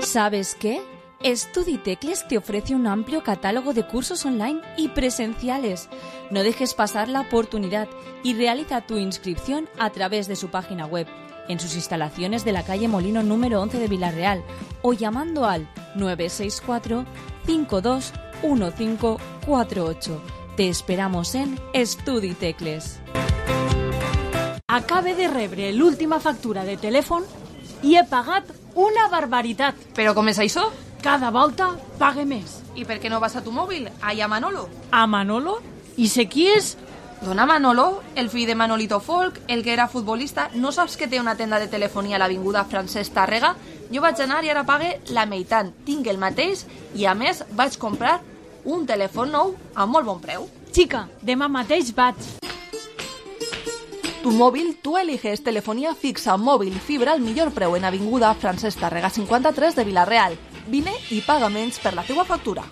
¿Sabes qué? StudiTecles te ofrece un amplio catálogo de cursos online y presenciales. No dejes pasar la oportunidad y realiza tu inscripción a través de su página web, en sus instalaciones de la calle Molino número 11 de Vila-real, o llamando al 964 52 1548. Te esperamos en StudiTecles. Acabe de rebre l'última factura de telèfon i he pagat una barbaritat. Però com és això? Cada volta pague més. I per què no vas a tu mòbil? Allà a Manolo. A Manolo? I sé qui és? Dona Manolo, el fill de Manolito Folk, el que era futbolista. No saps que té una tenda de telefonia a l'avinguda Francesc Tàrrega? Jo vaig anar i ara pague la meitat. Tinc el mateix i, a més, vaig comprar un telèfon nou a molt bon preu. Xica, demà mateix vaig. Tu móvil, tú eliges telefonía fixa, móvil, fibra al millor preu en avinguda Francesc Tàrrega 53 de Vila-real. Vine i paga menys per la teua factura.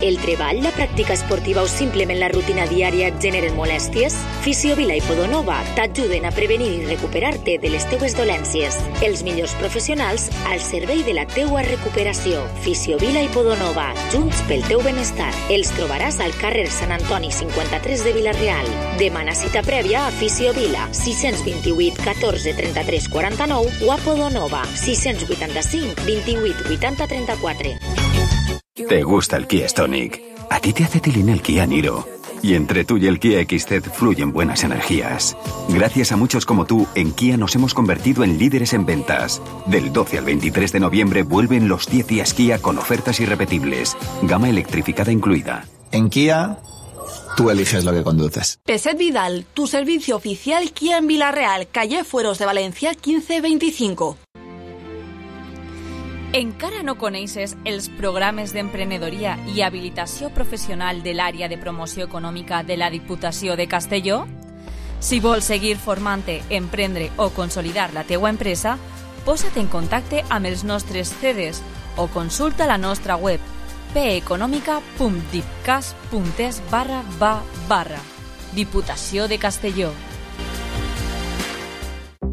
El treball, la pràctica esportiva o simplement la rutina diària et generen molèsties? Fisiovila i Podonova t'ajuden a prevenir i recuperar-te de les teues dolències. Els millors professionals al servei de la teua recuperació. Fisiovila i Podonova, junts pel teu benestar. Els trobaràs al carrer Sant Antoni 53 de Vila-real. Demana cita prèvia a Fisiovila, 628 14 33 49 o a Podonova, 685 28 80 34. ¿Te gusta el Kia Stonic? A ti te hace tilín el Kia Niro. Y entre tú y el Kia XZ fluyen buenas energías. Gracias a muchos como tú, en Kia nos hemos convertido en líderes en ventas. Del 12 al 23 de noviembre vuelven los 10 días Kia con ofertas irrepetibles. Gama electrificada incluida. En Kia, tú eliges lo que conduces. Peset Vidal, tu servicio oficial Kia en Vila-real, calle Fueros de Valencia 1525. Encara no coneixes els programes d'emprenedoria i habilitació professional de l'àrea de promoció econòmica de la Diputació de Castelló? Si vols seguir formant-te, emprendre o consolidar la teua empresa, posa't en contacte amb els nostres CEDES o consulta la nostra web peeconomica.dipcas.es/. Diputació de Castelló.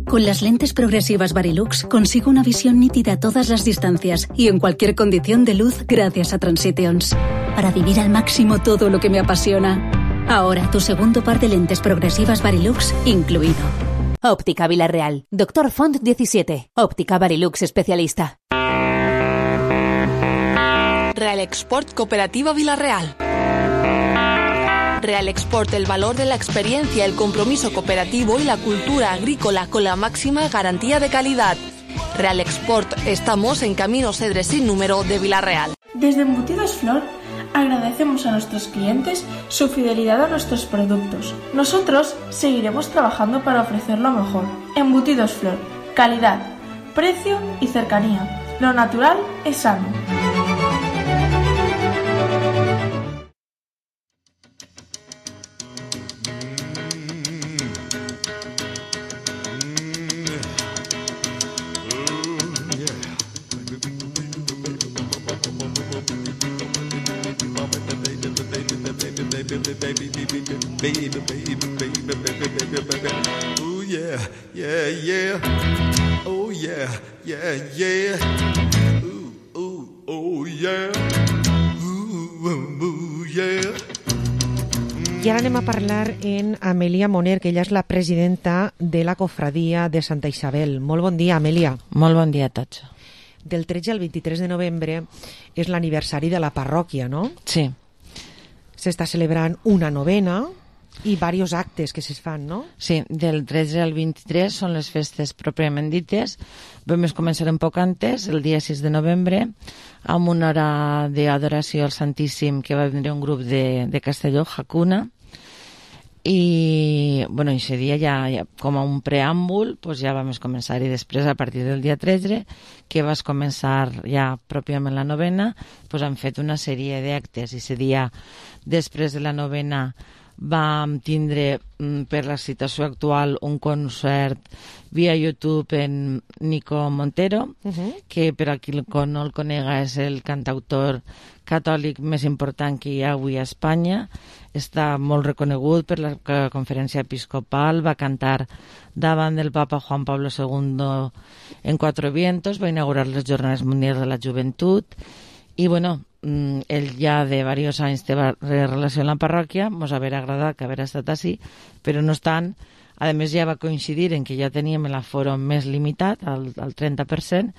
Con las lentes progresivas Varilux consigo una visión nítida a todas las distancias y en cualquier condición de luz gracias a Transitions, para vivir al máximo todo lo que me apasiona. Ahora tu segundo par de lentes progresivas Varilux incluido. Óptica Vila-real. Dr. Font 17. Óptica Varilux especialista. Real Export Cooperativa Vila-real. Real Export, el valor de la experiencia, el compromiso cooperativo y la cultura agrícola con la máxima garantía de calidad. Real Export, estamos en Camino Cedres sin número de Vila-real. Desde Embutidos Flor agradecemos a nuestros clientes su fidelidad a nuestros productos. Nosotros seguiremos trabajando para ofrecer lo mejor. Embutidos Flor, calidad, precio y cercanía. Lo natural es sano. Ooh yeah, yeah, yeah. Oh yeah, yeah, yeah. Oh yeah. Yeah. I ara anem a parlar en Amèlia Moner, que ella és la presidenta de la cofradia de Santa Isabel. Molt bon dia, Amèlia. Molt bon dia a tots. Del 13 al 23 de novembre és l'aniversari de la parròquia, no? Sí. S'està celebrant una novena i diversos actes que es fan, no? Sí, del 13 al 23 són les festes pròpiament dites. Vam començar un poc antes, el dia 6 de novembre, amb una hora d'adoració al Santíssim que va venir un grup de Castelló, Hakuna, i bueno, aquest dia ja com a un preàmbul pues ja vam començar, i després a partir del dia 13 que vas començar ja pròpiament la novena, pues han fet una sèrie d'actes, i aquest dia després de la novena vam tindre per la situació actual un concert via YouTube en Nico Montero, que per a qui no el conega és el cantautor catòlic més important que hi ha avui a Espanya. Està molt reconegut per la conferència episcopal, va cantar davant del papa Juan Pablo II en Cuatro Vientos, va inaugurar les Jornades Mundials de la Joventut, i bueno, ell ja de diversos anys té relació amb la parròquia, ens haver agradat que haver estat així, però no obstant, a més ja va coincidir en que ja teníem l'aforo més limitat, al 30%,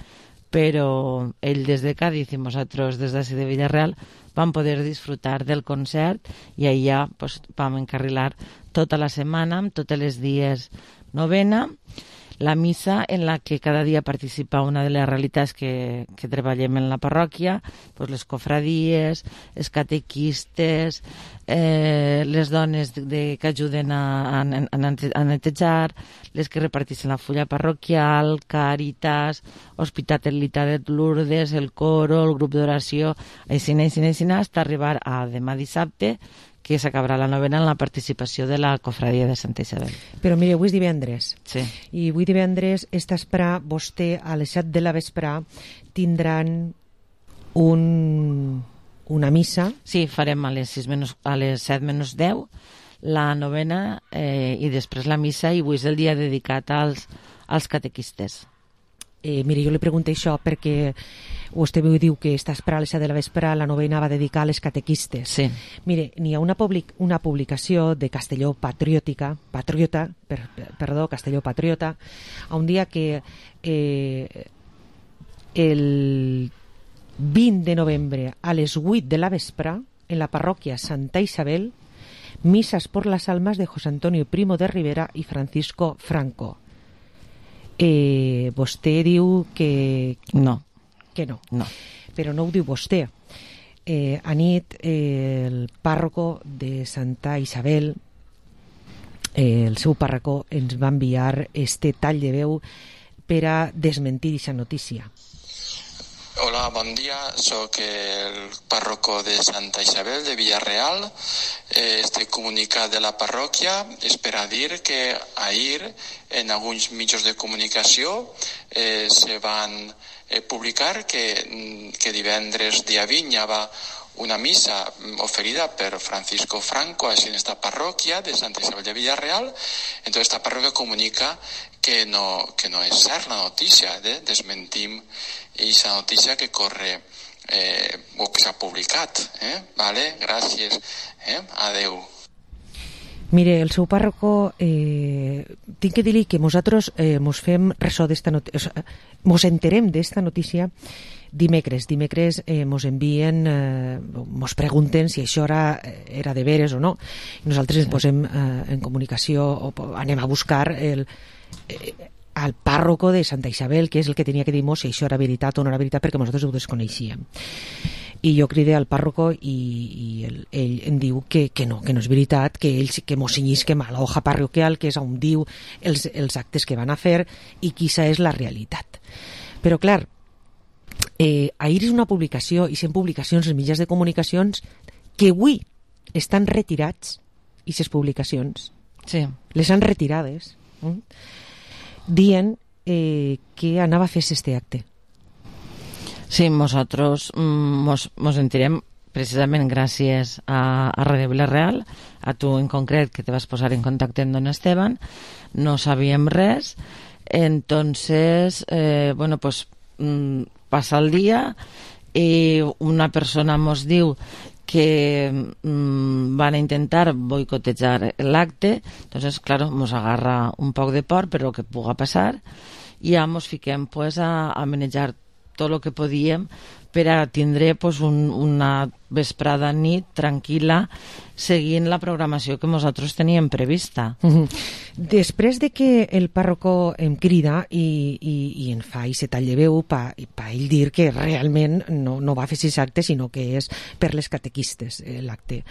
però ell des de Cádiz i nosaltres des d'ací de Vila-real vam poder disfrutar del concert, i allà pues, vam encarrilar tota la setmana, amb tots els dies novena, la missa en la que cada dia participa una de les realitats que treballem en la parròquia, pues les cofradies, els catequistes, les dones que ajuden a netejar, les que reparteixen la fulla parroquial, Càritas, Hospitalitat de Lourdes, el coro, el grup d'oració, així, hasta arribar a demà dissabte, que s'acabarà la novena en la participació de la cofradia de Santa Isabel. Però mire, avui és divendres. Sí. I avui divendres, esta vesprà, vostè a les 7 de la vesprà tindran un una missa. Sí, farem a les 7 menys 10 la novena i després la missa, i avui és el dia dedicat als catequistes. Mire, jo li pregunto això perquè vostè diu que està esperant a les 7 de la vespre, la novena va dedicar a les catequistes. Sí. Mire, n'hi ha una publicació de Castelló Patriota, Castelló Patriota, a un dia que el 20 de novembre a les 8 de la vespre, en la parròquia Santa Isabel, misas por las almas de José Antonio Primo de Rivera y Francisco Franco. Vostè diu que... No. Que no. No. Però no ho diu vostè. Anit, el pàrroco de Santa Isabel, el seu pàrroco, ens va enviar este tall de veu per a desmentir aquesta notícia. Hola, bon dia. Soc el párroco de Santa Isabel de Villarreal. Este comunicat de la parròquia és per a dir que ahir en alguns mitjans de comunicació se van publicar que divendres dia 20 hi va una missa oferida per Francisco Franco en esta parròquia de Santa Isabel de Villarreal. Entonces esta parròquia comunica que no és cert la notícia, desmentim aquesta notícia que corre o que s'ha publicat. Vale? Gràcies. Adeu. Mire, el seu pàrroco, tinc que dir-li que nosaltres mos fem ressò d'esta notícia, mos enterem d'esta notícia dimecres mos envien, mos pregunten si això era de veres o no. Nosaltres ens posem en comunicació o anem a buscar al pàrroco de Santa Isabel, que és el que tenia que dir-nos si això era veritat o no era veritat, perquè nosaltres ho desconeixíem. I jo cridé al pàrroco i ell em diu que no és veritat, que ell sí que mos cinyisquem a la hoja parroquial, que és on diu els actes que van a fer i quina és la realitat. Però clar, ahir és una publicació, i són publicacions en mitjans de comunicacions que avui estan retirats, i ces publicacions les han retirades, dient que anava a fer este acte. Sí, nosaltres mos enterem precisament gràcies a Radio Villarreal, a tu en concret, que te vas posar en contacte amb don Esteban. No sabíem res. Entonces, passa el dia i una persona mos diu que van a intentar boicotejar l'acte. Entonces, claro, mos agarra un poc de por per lo que puga passar, i ja mos fiquem a manejar tot el que podíem per a tindre una vesprada nit tranquil·la seguint la programació que nosaltres teníem prevista. Després de que el pàrroco em crida i en fa i se tall de veu per ell dir que realment no va fer aquest acte, sinó que és per les catequistes l'acte.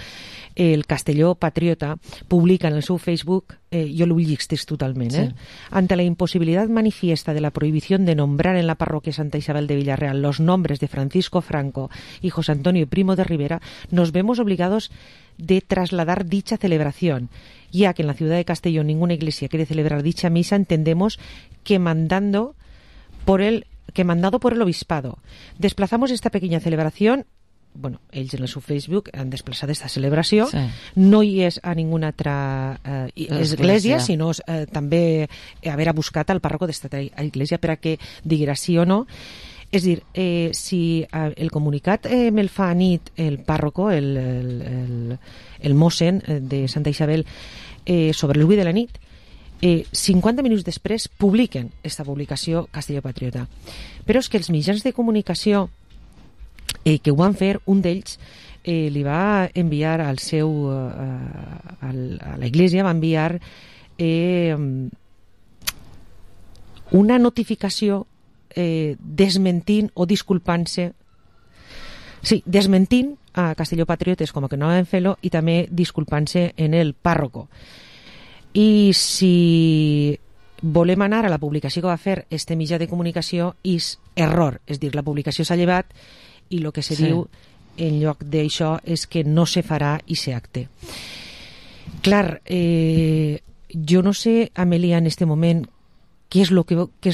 El Castelló Patriota publica en el seu Facebook, yo lo llegís totalment, Sí. Ante la imposibilidad manifiesta de la prohibición de nombrar en la parroquia Santa Isabel de Villarreal los nombres de Francisco Franco y José Antonio Primo de Rivera, nos vemos obligados de trasladar dicha celebración, ya que en la ciudad de Castellón ninguna iglesia quiere celebrar dicha misa. Entendemos que mandado por el obispado. Desplazamos esta pequeña celebración. Bueno, ells en el seu Facebook han desplaçat aquesta celebració. Sí. No hi és a ninguna altra església, sinó també haver buscat al pàrroco d'esta església per a que diguera sí o no. És dir, si el comunicat me'l fa a nit el pàrroco, el mossen de Santa Isabel, sobre el 8 de la nit, 50 minuts després publiquen aquesta publicació Castelló Patriota. Però és que els mitjans de comunicació que ho van fer, un d'ells li va enviar al seu a l'església, va enviar una notificació desmentint o disculpant-se, desmentint a Castelló Patriotes com que no van fer-lo, i també disculpant-se en el pàrroco. I si volem anar a la publicació que va fer este mitjà de comunicació, és error, és dir, la publicació s'ha llevat i el que se diu en lloc d'això és que no se farà aquest acte. Clar, jo no sé, Amèlia, en este moment què és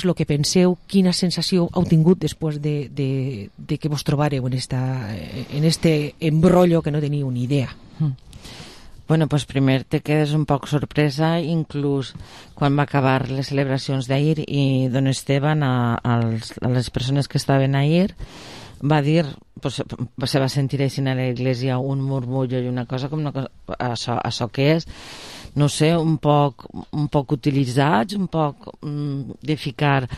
lo que penseu, quina sensació heu tingut després de que vos trobareu en este embrollo que no teniu ni idea. Bueno, pues primer te quedes un poc sorpresa, inclús quan va acabar les celebracions d'ahir i don Esteban a les persones que estaven ahir va dir, pues, se va sentir així a l'església un murmullo i una cosa com això que és, no sé, un poc utilitzats, un poc de ficar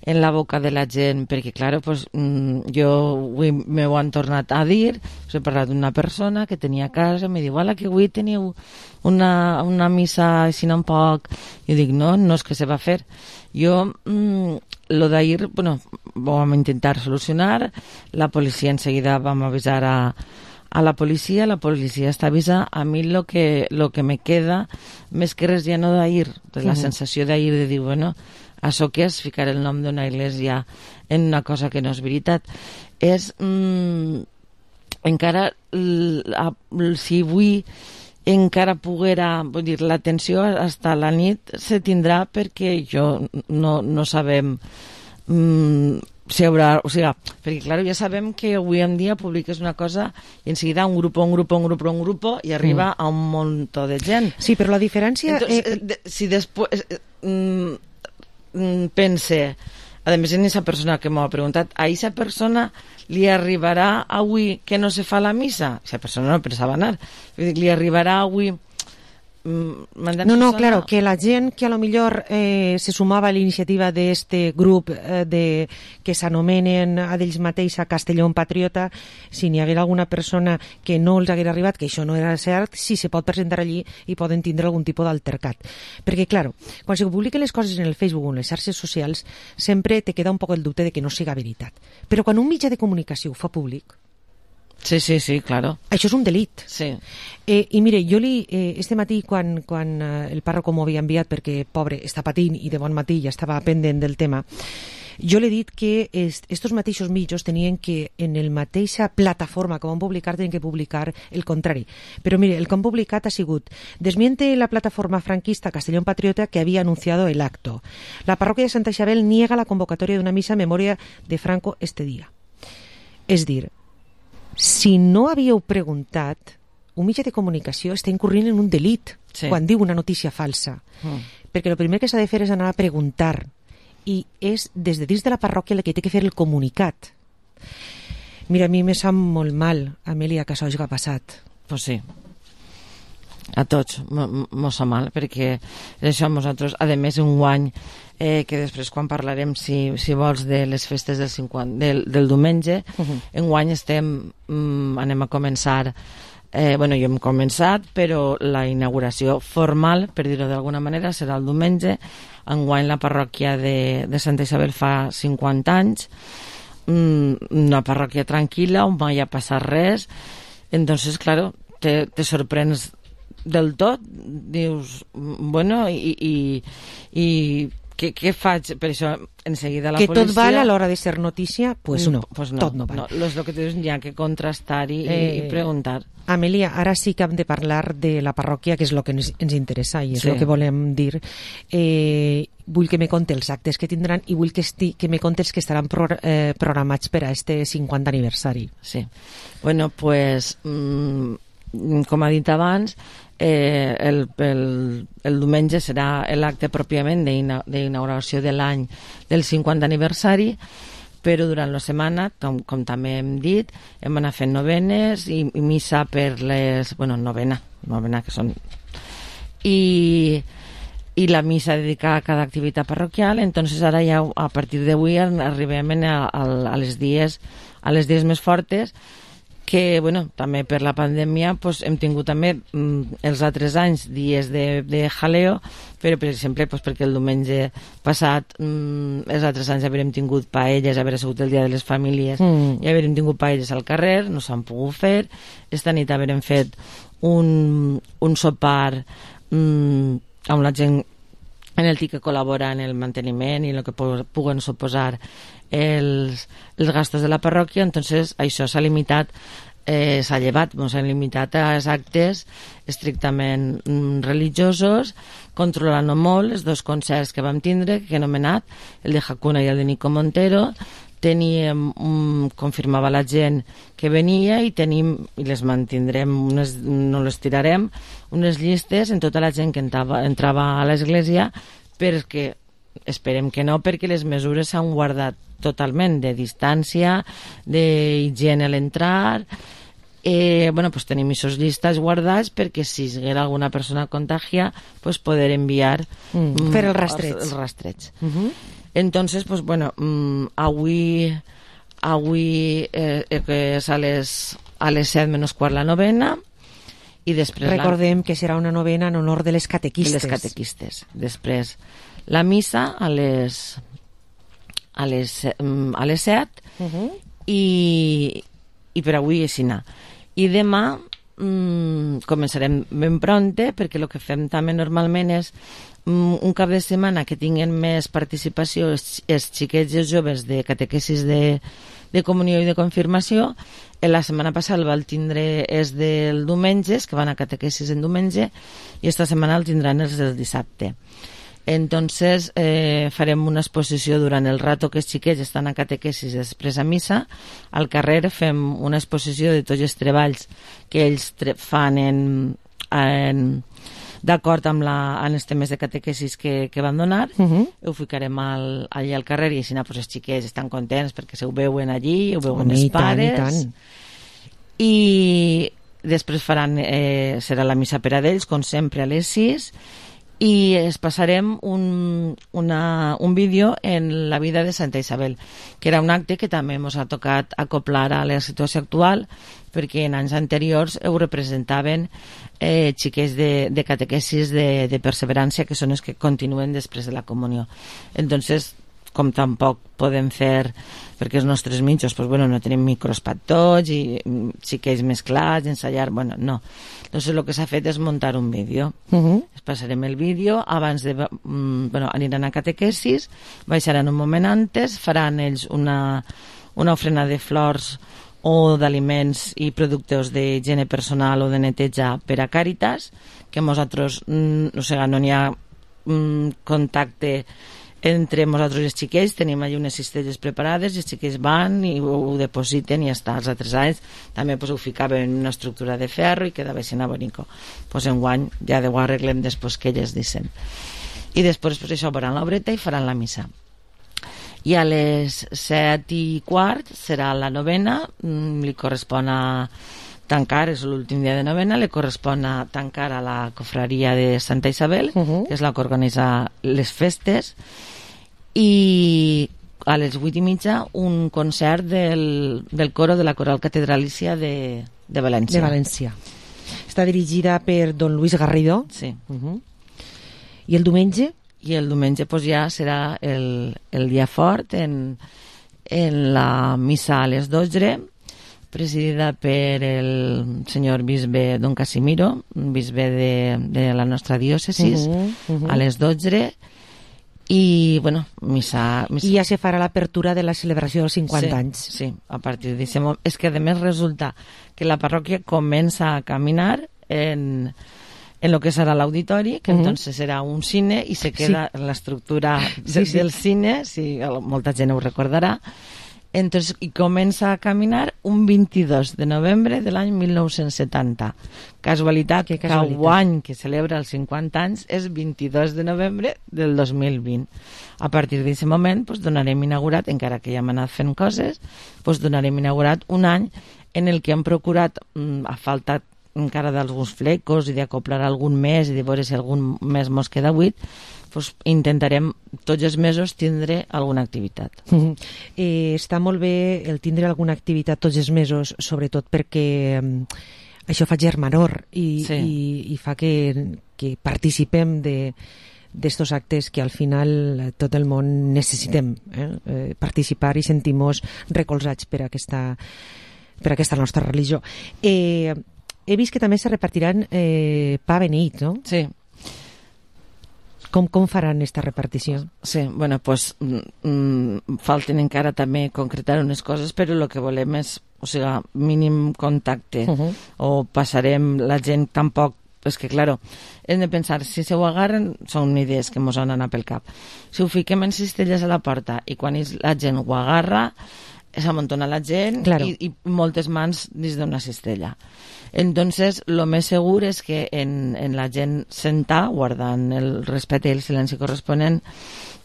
en la boca de la gent, perquè, clar, pues, jo avui m'ho han tornat a dir, he parlat d'una persona que tenia a casa, em diu, que avui teniu una missa així un poc, jo dic, no és que se va fer. Jo, lo d'ahir, bueno, vam intentar solucionar, la policia en seguida vam avisar a la policia està avisada. A mi lo que me queda, més que res ja no d'ahir, de la sensació d'ahir de dir, bueno, això que és ficar el nom d'una església en una cosa que no és veritat, és encara si avui encara poguera, vull dir, l'atenció hasta la nit se tindrà perquè no sabem si haurà, o sigui, perquè clar, ja sabem que avui en dia publiques una cosa i en seguida un grupo i arriba a un munt de gent. Sí, però la diferència... Entonces, si després pense, a més en esa persona que m'ho ha preguntat, a esa persona li arribarà avui que no se fa la missa? Esa persona no pensava anar. Li arribarà avui... No, claro, que la gent que a lo millor se sumava a l'iniciativa d'este grup que s'anomenen a d'ells mateix a Castellón Patriota, si n'hi haguera alguna persona que no els haguera arribat, que això no era cert, sí se pot presentar allí i poden tindre algun tipus d'altercat. Perquè, claro, quan se publiquen les coses en el Facebook o en les xarxes socials, sempre te queda un poc el dubte de que no siga veritat. Però quan un mitjà de comunicació ho fa públic, sí, claro. Això és un delit. Sí. I mire, jo este matí, quan el párroco m'ho havia enviat, perquè, pobre, està patint i de bon matí ja estava pendent del tema, jo l'he dit que estos mateixos mitjos tenien que, en el mateixa plataforma que van publicar, tenien que publicar el contrari. Però mire, el que han publicat ha sigut: desmiente la plataforma franquista Castellón Patriota que había anunciado el acto. La parroquia de Santa Isabel niega la convocatoria de una misa en memoria de Franco este día. És dir, si no havíeu preguntat, un mitjà de comunicació està incorrent en un delit quan diu una notícia falsa. Perquè el primer que s'ha de fer és anar a preguntar, i és des de dins de la parròquia la que té que fer el comunicat. Mira, a mi me sap molt mal, Amèlia, que això hagi passat. Pues sí. A tots mos sap mal, perquè això a nosaltres, a més, un guany que després quan parlarem, si vols, de les festes del diumenge, enguany anem a començar, jo hem començat, però la inauguració formal, per dir-ho d'alguna manera, serà el diumenge. Enguany la parròquia de Santa Isabel fa 50 anys, una parròquia tranquil·la, on mai ha passat res. Entonces, claro, te sorprens del tot, dius, bueno, i què faig? Per això, en seguida la policia... Que tot val a l'hora de ser notícia? Pues no, tot no val. No, és el que tens ja que contrastar i preguntar. Amèlia, ara sí que hem de parlar de la parròquia, que és el que ens interessa i és el que volem dir. Vull que me conti els actes que tindran i vull que me conti els que estaran programats per a este 50 aniversari. Sí. Bueno, pues, com ha dit abans, el diumenge serà l'acte pròpiament d'inauguració de l'any del 50 aniversari, però durant la setmana, com també hem dit, hem anat fent novenes i missa per les... novena que són... I la missa dedicada a cada activitat parroquial. Entonces ara ja a partir d'avui arribem a les dies més fortes, que, també per la pandèmia hem tingut també els altres anys dies de jaleo, però, per exemple, perquè el diumenge passat els altres anys havíem tingut paelles, haver sigut el dia de les famílies, i havíem tingut paelles al carrer, no s'han pogut fer. Esta nit havíem fet un sopar amb la gent en el que col·labora en el manteniment i el que puguen suposar els gastos de la parròquia. Entonces això s'ha limitat s'ha llevat, ens hem limitat a actes estrictament religiosos, controlant molt els 2 concerts que vam tindre, que he anomenat, el de Hakuna i el de Nico Montero. Teníem, confirmava la gent que venia i tenim, i les mantindrem, no les tirarem, unes llistes en tota la gent que entrava a l'església, perquè esperem que no, perquè les mesures s'han guardat totalment, de distància, d'higiene a l'entrar. Pues tenim aquestes llistes guardats perquè si hi haguera alguna persona contagiada, pues poder enviar fer el rastreig. Entonces, pues bueno, avui és a les 7 menys quart la novena, i després recordem que serà una novena en honor de les catequistes. Després la missa a les 7 i per avui és així. I demà començarem ben prompte, perquè el que fem també normalment és un cap de setmana que tinguen més participació els xiquets i els joves de catequesis de comunió i de confirmació. La setmana passada el van tindre els del diumenge, que van a catequesis en diumenge, i esta setmana el tindran els del dissabte. Entonces farem una exposició durant el rato que els xiquets estan a catequesis i després a missa. Al carrer fem una exposició de tots els treballs que ells fan d'acord amb els temes de catequesis que van donar. Ho ficarem allà al carrer i així pues, els xiquets estan contents perquè se ho veuen allí, ho veuen els pares. I després serà la missa per a ells, com sempre, a les 6, i es passarem un vídeo en la vida de Santa Isabel, que era un acte que també ens ha tocat acoplar a la situació actual, perquè en anys anteriors ho representaven xiquets de catequesis de perseverança, que són els que continuen després de la comunió. Entonces, com tampoc podem fer, perquè els nostres mitjos no tenim micros per tots i xiquets mesclats, ensayar, no. Entonces el que s'ha fet és muntar un vídeo. Es passarem el vídeo, abans aniran a catequesis, baixaran un moment antes, faran ells una ofrena de flors o d'aliments i productes d'higiene personal o de neteja per a Càritas, que nosaltres no n'hi ha contacte entre nosaltres i els xiquets, tenim allà unes cistelles preparades i els xiquets van i ho depositen i ja està. Els altres anys també ho ficaven en una estructura de ferro i quedava així bonico. Enguany ja ho arreglem després que elles dicen. I després això faran l'obreta i faran la missa. I a les 7:15 serà la novena, li correspon a tancar, és l'últim dia de novena, li correspon a tancar a la cofraria de Santa Isabel, que és la que organitza les festes, i a les 8:30 un concert del coro de la Coral Catedralícia de València. De València. Està dirigida per don Luis Garrido. Sí. I el diumenge? I el diumenge ja serà el dia fort en la missa a les 12, presidida per el senyor bisbe don Casimiro, bisbe de la nostra diòcesis, a les 12, i missa. I ja se farà l'apertura de la celebració dels 50 anys. Sí, a partir d'aquest moment. És que a més resulta que la parròquia comença a caminar en lo que serà l'auditori, que entonces serà un cine i se queda l'estructura del cine, molta gent ho recordarà. Entonces, i comença a caminar un 22 de novembre de l'any 1970. Casualitat que any que celebra els 50 anys és 22 de novembre del 2020. A partir d'aquest moment donarem inaugurat, encara que ja hem anat fent coses, donarem inaugurat un any en el que hem procurat, a falta encara d'alguns flecos i d'acoplar algun mes i de veure si algun mes mos queda buit, intentarem tots els mesos tindre alguna activitat. Està molt bé el tindre alguna activitat tots els mesos, sobretot perquè això fa germanor i fa que participem d'estos actes que al final tot el món necessitem participar i sentir-nos recolzats per aquesta nostra religió. He vist que també se repartiran pa beneït, no? Sí. Com faran aquesta repartició? Sí, bueno, pues falten encara també concretar unes coses, però el que volem és, o sigui, mínim contacte, o passarem la gent tampoc, és que, claro, hem de pensar, si se ho agarren, són idees que mos han anat pel cap. Si ho fiquem en cistelles a la porta i quan la gent ho agarra, s'amontona la gent i moltes mans dins d'una cistella. Entonces, lo més segur és que en la gent sentar, guardant el respecte i el silenci corresponent,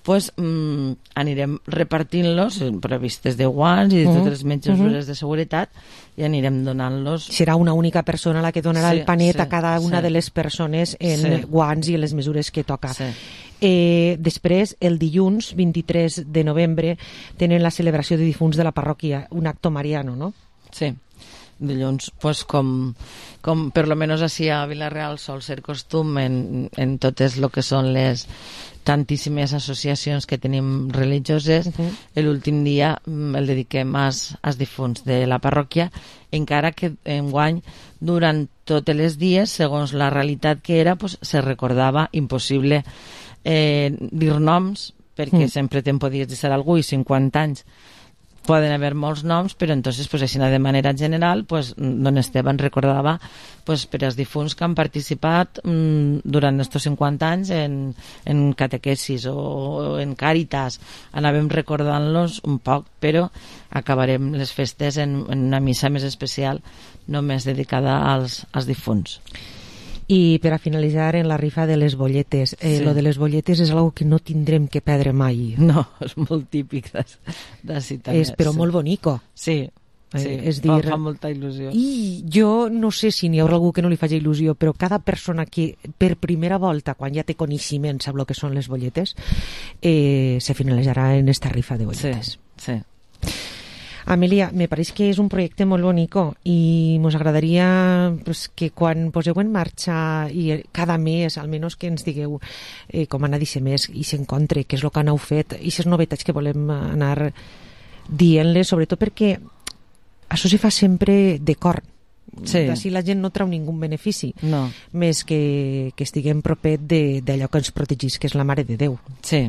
pues anirem repartint-los previstes de guants i de totes les mesures de seguretat i anirem donant-los. Serà una única persona la que donarà el panet a cada una de les persones en guants i en les mesures que toca. Després, el dilluns 23 de novembre tenen la celebració de difunts de la parròquia, un acto mariano, no? Sí. Dilluns, pues com per lo menos així a Vila-real sol ser costum en totes lo que són les tantíssimes associacions que tenim religioses, l'últim dia el dediquem als difunts de la parròquia, encara que enguany durant totes les dies, segons la realitat que era, pues, se recordava impossible dir noms, perquè sempre te'n podies dir algú i 50 anys poden haver molts noms, però entonces, pues, així de manera general, pues, don Esteban recordava, pues, per als difunts que han participat durant estos 50 anys en catequesis o en càritas. Anàvem recordant-los un poc, però acabarem les festes en una missa més especial només dedicada als difunts. I per a finalitzar, en la rifa de les bolletes. Lo de les bolletes és algo que no tindrem que perdre mai. No, és molt típic d'ací també. És però molt bonico. Sí, és dir, fa molta il·lusió. I jo no sé si n'hi haurà algú que no li faci il·lusió, però cada persona que per primera volta, quan ja té coneixement, sap el que són les bolletes, se finalitzarà en esta rifa de bolletes. Sí. Amelia, me pareix que és un projecte molt bonico i ens agradaria pues, que quan poseu en marxa i cada mes, almenys que ens digueu com anar d'aquest mes i s'encontre, què és el que aneu fet i aquestes novetats que volem anar dient-les, sobretot perquè això se fa sempre de cor. Així la gent no treu ningú benefici, més que estiguem propet d'allò que ens protegís, que és la Mare de Déu. Sí,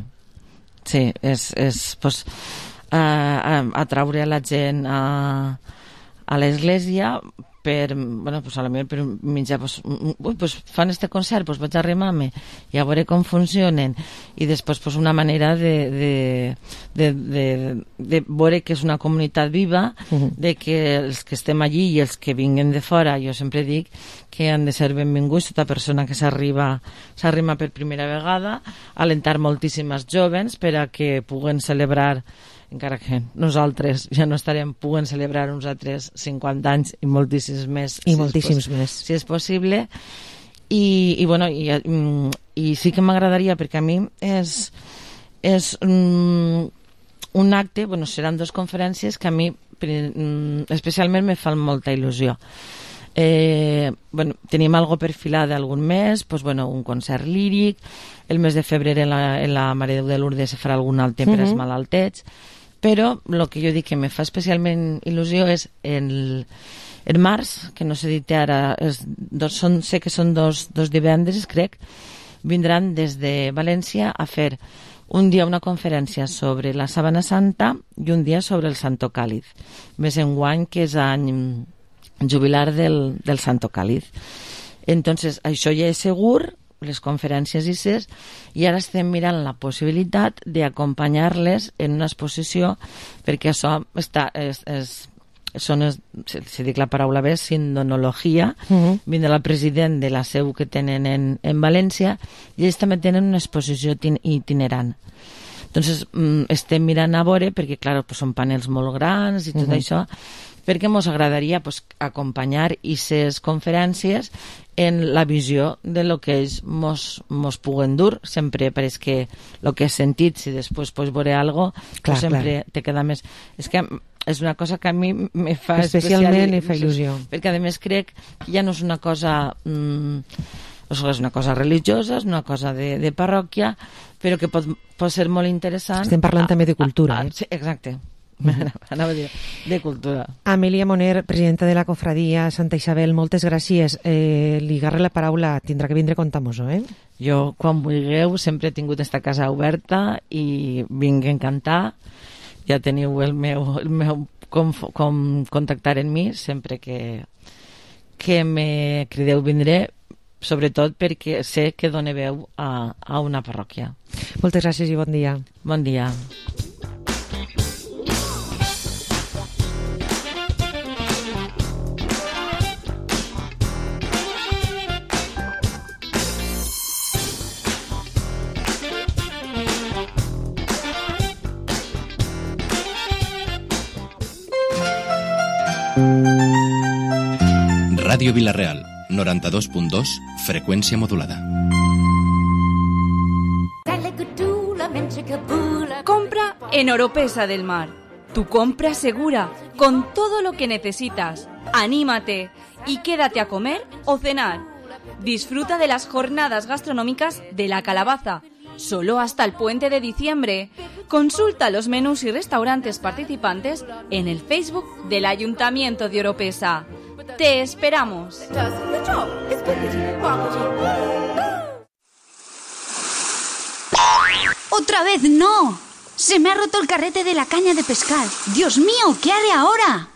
és pues, atraure a la gent a l'església per, bueno, pues a la meva per mitjà, pues fan este concert, pues vaig a arrimar-me i a veure com funcionen, i després pues una manera de veure que és una comunitat viva, de que els que estem allí i els que vinguen de fora, jo sempre dic que han de ser benvinguts, tota persona que s'arrima per primera vegada, alentar moltíssimes jovens per a que puguen celebrar, encara que nosaltres ja no estarem, puguen celebrar uns altres 50 anys i moltíssims més. Si és possible. I sí que m'agradaria, perquè a mi és un acte, bueno, seran 2 conferències que a mi especialment me fan molta il·lusió. Tenim algo perfilada algun mes, pues, un concert líric, el mes de febrer en la Mare de Déu de Lourdes se farà algun altre per als malaltets, però el que jo dic que me fa especialment il·lusió és en març, que no sé dir ara, sé que són dos divendres, crec, vindran des de València a fer un dia una conferència sobre la Sabana Santa i un dia sobre el Santo Càlid, més enguany que és any jubilar del Santo Càlid. Entonces, això ja és segur, les conferències i ara estem mirant la possibilitat d'acompanyar-les en una exposició, perquè això si dic la paraula bé, sindonologia, vindrà el president de la seu que tenen en València, i ells també tenen una exposició itinerant. Entonces, estem mirant a veure, perquè clar, són panels molt grans i tot això, perquè ens agradaria acompanyar aquestes conferències en la visió de lo que ells mos puguen dur. Sempre pareix que el que has sentit, si després pots veure alguna cosa, sempre te queda més. És que és una cosa que a mi me fa especialment fa il·lusió. Perquè a més crec que ja no és una cosa és una cosa religiosa, és una cosa de parròquia, però que pot ser molt interessant. Estem parlant també de cultura. Sí, exacte. Anava a dir, de cultura. Amèlia Moner, presidenta de la Cofradia Santa Isabel, moltes gràcies. Li agarre la paraula, tindrà que vindre a contar-nos-ho, Jo, quan vulgueu, sempre he tingut esta casa oberta i vinc a encantar. Ja teniu el meu com contactar en mi, sempre que me crideu vindré, sobretot perquè sé que dóna veu a una parròquia. Moltes gràcies i bon dia. Bon dia. Ràdio Vila-real, 92.2, freqüència modulada. Compra en Oropesa del Mar. Tu compra segura, con todo lo que necesitas. Anímate y quédate a comer o cenar. Disfruta de las jornadas gastronómicas de La Calabaza, solo hasta el puente de diciembre. Consulta los menús y restaurantes participantes en el Facebook del Ayuntamiento de Oropesa. ¡Te esperamos! ¡Otra vez no! Se me ha roto el carrete de la caña de pescar. ¡Dios mío! ¿Qué haré ahora?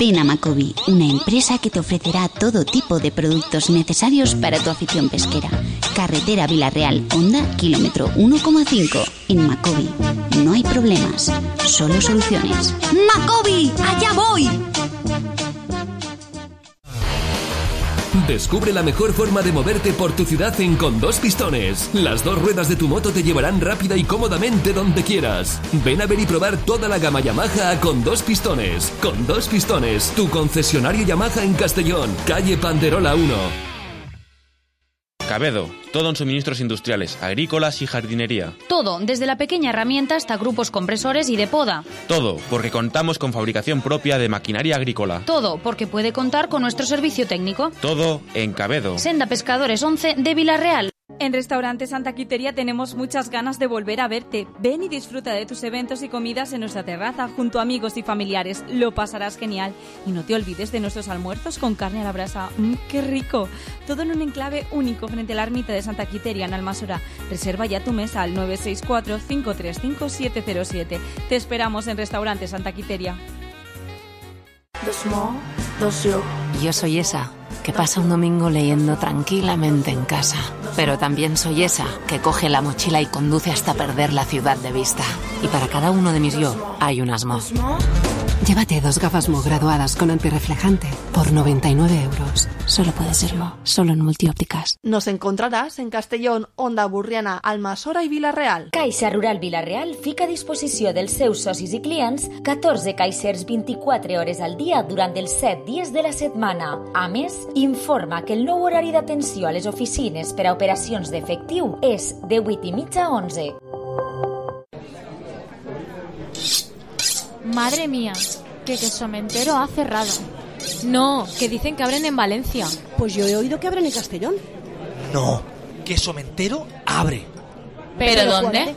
Ven a Macobi, una empresa que te ofrecerá todo tipo de productos necesarios para tu afición pesquera. Carretera Vila-real, Honda, kilómetro 1,5. En Macobi no hay problemas, solo soluciones. ¡Macobi! ¡Allá voy! Descubre la mejor forma de moverte por tu ciudad en Con Dos Pistones. Las dos ruedas de tu moto te llevarán rápida y cómodamente donde quieras. Ven a ver y probar toda la gama Yamaha a Con Dos Pistones. Con Dos Pistones, tu concesionario Yamaha en Castellón, calle Panderola 1. Cabedo, todo en suministros industriales, agrícolas y jardinería. Todo, desde la pequeña herramienta hasta grupos compresores y de poda. Todo, porque contamos con fabricación propia de maquinaria agrícola. Todo, porque puede contar con nuestro servicio técnico. Todo en Cabedo. Senda Pescadores 11 de Vila-real. En Restaurante Santa Quiteria tenemos muchas ganas de volver a verte. Ven y disfruta de tus eventos y comidas en nuestra terraza junto a amigos y familiares. Lo pasarás genial. Y no te olvides de nuestros almuerzos con carne a la brasa. ¡Qué rico! Todo en un enclave único frente a la ermita de Santa Quiteria en Almasora. Reserva ya tu mesa al 964-535-707. Te esperamos en Restaurante Santa Quiteria. Yo soy esa que pasa un domingo leyendo tranquilamente en casa. Pero también soy esa que coge la mochila y conduce hasta perder la ciudad de vista. Y para cada uno de mis yo hay un Asmo. Llévate 2 gafas Mo graduadas con antirreflejante por 99 euros. Solo puede ser Mo, solo en Multiópticas. Nos encontrarás en Castellón, Onda Burriana, Almasora i Vila-real. Caixa Rural Vila-real fica a disposició dels seus socis i clients 14 caixers 24 hores al dia durant els 7 dies de la setmana. A més, informa que el nou horari d'atenció a les oficines per a operacions d'efectiu és de 8:30 a 11. Madre mía, que Quesomentero ha cerrado. No, que dicen que abren en Valencia. Pues yo he oído que abren en Castellón. No, Quesomentero abre. ¿Pero dónde?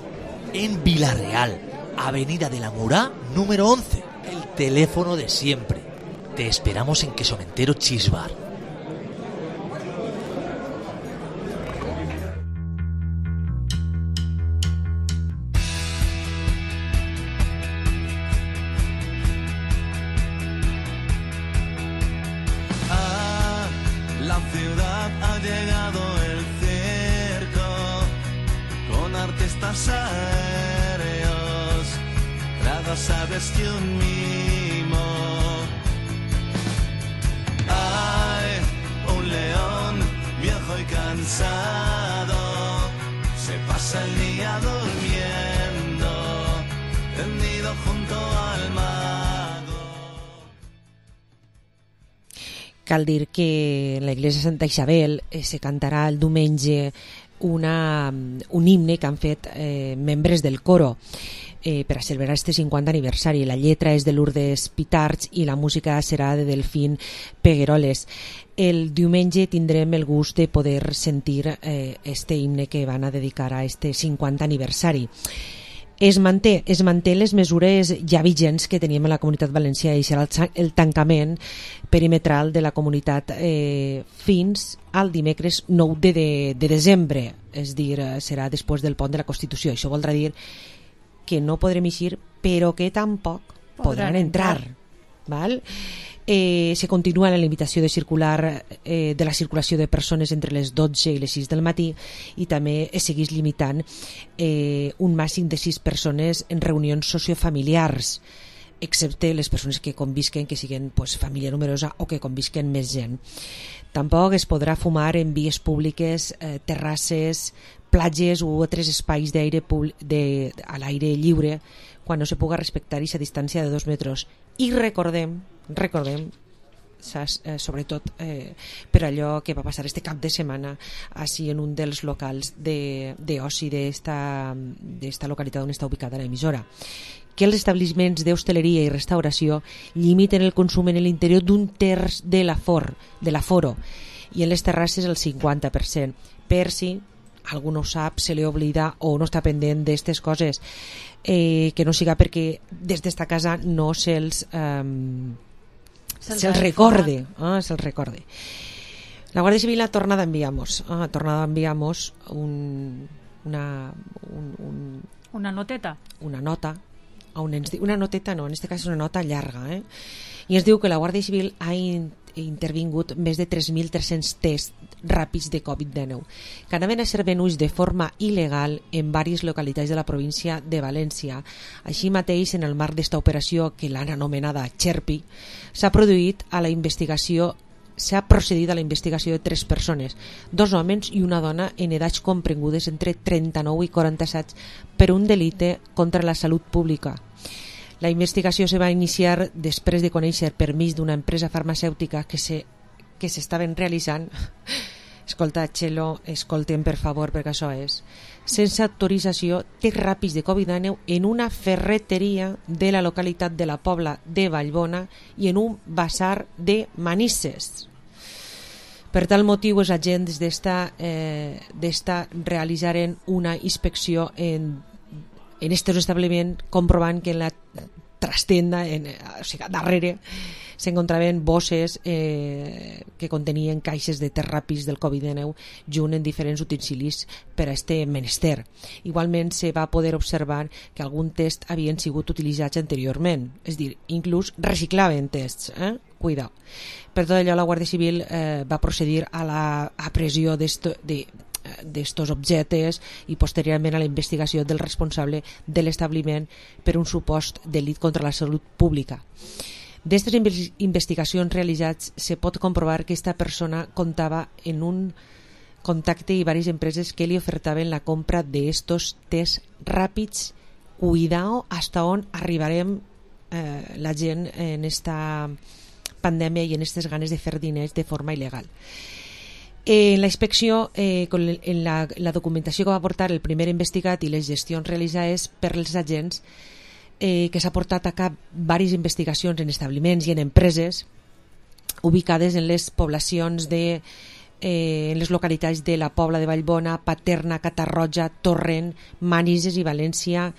En Vila-real, Avenida de la Murá, número 11. El teléfono de siempre. Te esperamos en Quesomentero Cheese Bar. La ciudad ha llegado el circo con artistas aéreos, trados aves y un mimo. Hay un león viejo y cansado, se pasa el día durmiendo, tendido junto al mago. Cal dir que en la iglesia Santa Isabel se cantarà el diumenge un himne que han fet membres del coro per a celebrar este 50 aniversari. La lletra és de Lourdes Pitarch i la música serà de Delfín Pegueroles. El diumenge tindrem el gust de poder sentir este himne que van a dedicar a este 50 aniversari. Es manté les mesures ja vigents que teníem a la Comunitat Valenciana, i serà el tancament perimetral de la comunitat fins al dimecres 9 de desembre, és dir, serà després del pont de la Constitució. Això voldrà dir que no podrem eixir, però que tampoc podran entrar. Val? Se continua la limitació de la circulació de persones entre les 12 i les 6 del matí, i també es segueix limitant un màxim de 6 persones en reunions sociofamiliars, excepte les persones que convisquen, que siguin família numerosa o que convisquen més gent. Tampoc es podrà fumar en vies públiques, terrasses, platges u altres espais a l'aire lliure quan no se puga respectar aquesta distància de 2 metres. I recordem, sobretot per allò que va passar este cap de setmana així en un dels locals d'oci d'esta localitat on està ubicada l'emissora, que els establiments d'hostaleria i restauració limiten el consum en l'interior d'un terç de l'aforo i en les terrasses el 50%, per si algú no ho sap, se li oblida o no està pendent d'aquestes coses, que no siga perquè des d'esta casa no se'ls recorde. La Guàrdia Civil ha tornat a enviar-nos una noteta. Una nota, on ens diu, una noteta no, en aquest cas és una nota llarga, i ens diu que la Guàrdia Civil ha intervingut més de 3.300 tests ràpids de Covid-19 que anaven a ser venuts de forma il·legal en diverses localitats de la província de València. Així mateix, en el marc d'esta operació, que l'han anomenada Xerpi, s'ha procedit a la investigació de 3 persones, 2 homes i una dona en edats comprengudes entre 39 i 47 per un delicte contra la salut pública. La investigació se va iniciar després de conèixer per mig d'una empresa farmacèutica que s'estaven realitzant, escolta, Txelo, escolten per favor perquè això és, sense autorització, tests ràpids de Covid-19 en una ferreteria de la localitat de la Pobla de Vallbona i en un basar de Manises. Per tal motiu, els agents d'esta realitzaren una inspecció en aquest establiment, comprovant que en la trastenda, o sigui, darrere, s'encontraven bosses que contenien caixes de tests ràpids del Covid-19 junt en diferents utensilis per a este menester. Igualment se va poder observar que algun test havien sigut utilitzats anteriorment, és a dir, inclús reciclaven tests, cuidao. Per tot allò, la Guàrdia Civil va procedir a la apresió d'estos objectes i posteriorment a la investigació del responsable de l'establiment per un supost delit contra la salut pública. D'estes investigacions realitzats se pot comprovar que aquesta persona comptava en un contacte i diverses empreses que li ofertaven la compra d'estos tests ràpids. Cuidao hasta on arribarem la gent en esta pandèmia i en aquestes ganes de fer diners de forma il·legal. En la inspecció, en la documentació que va portar el primer investigat i les gestions realitzades per els agents, que s'ha portat a cap diverses investigacions en establiments i en empreses ubicades en les poblacions en les localitats de la Pobla de Vallbona, Paterna, Catarroja, Torrent, Manises i València,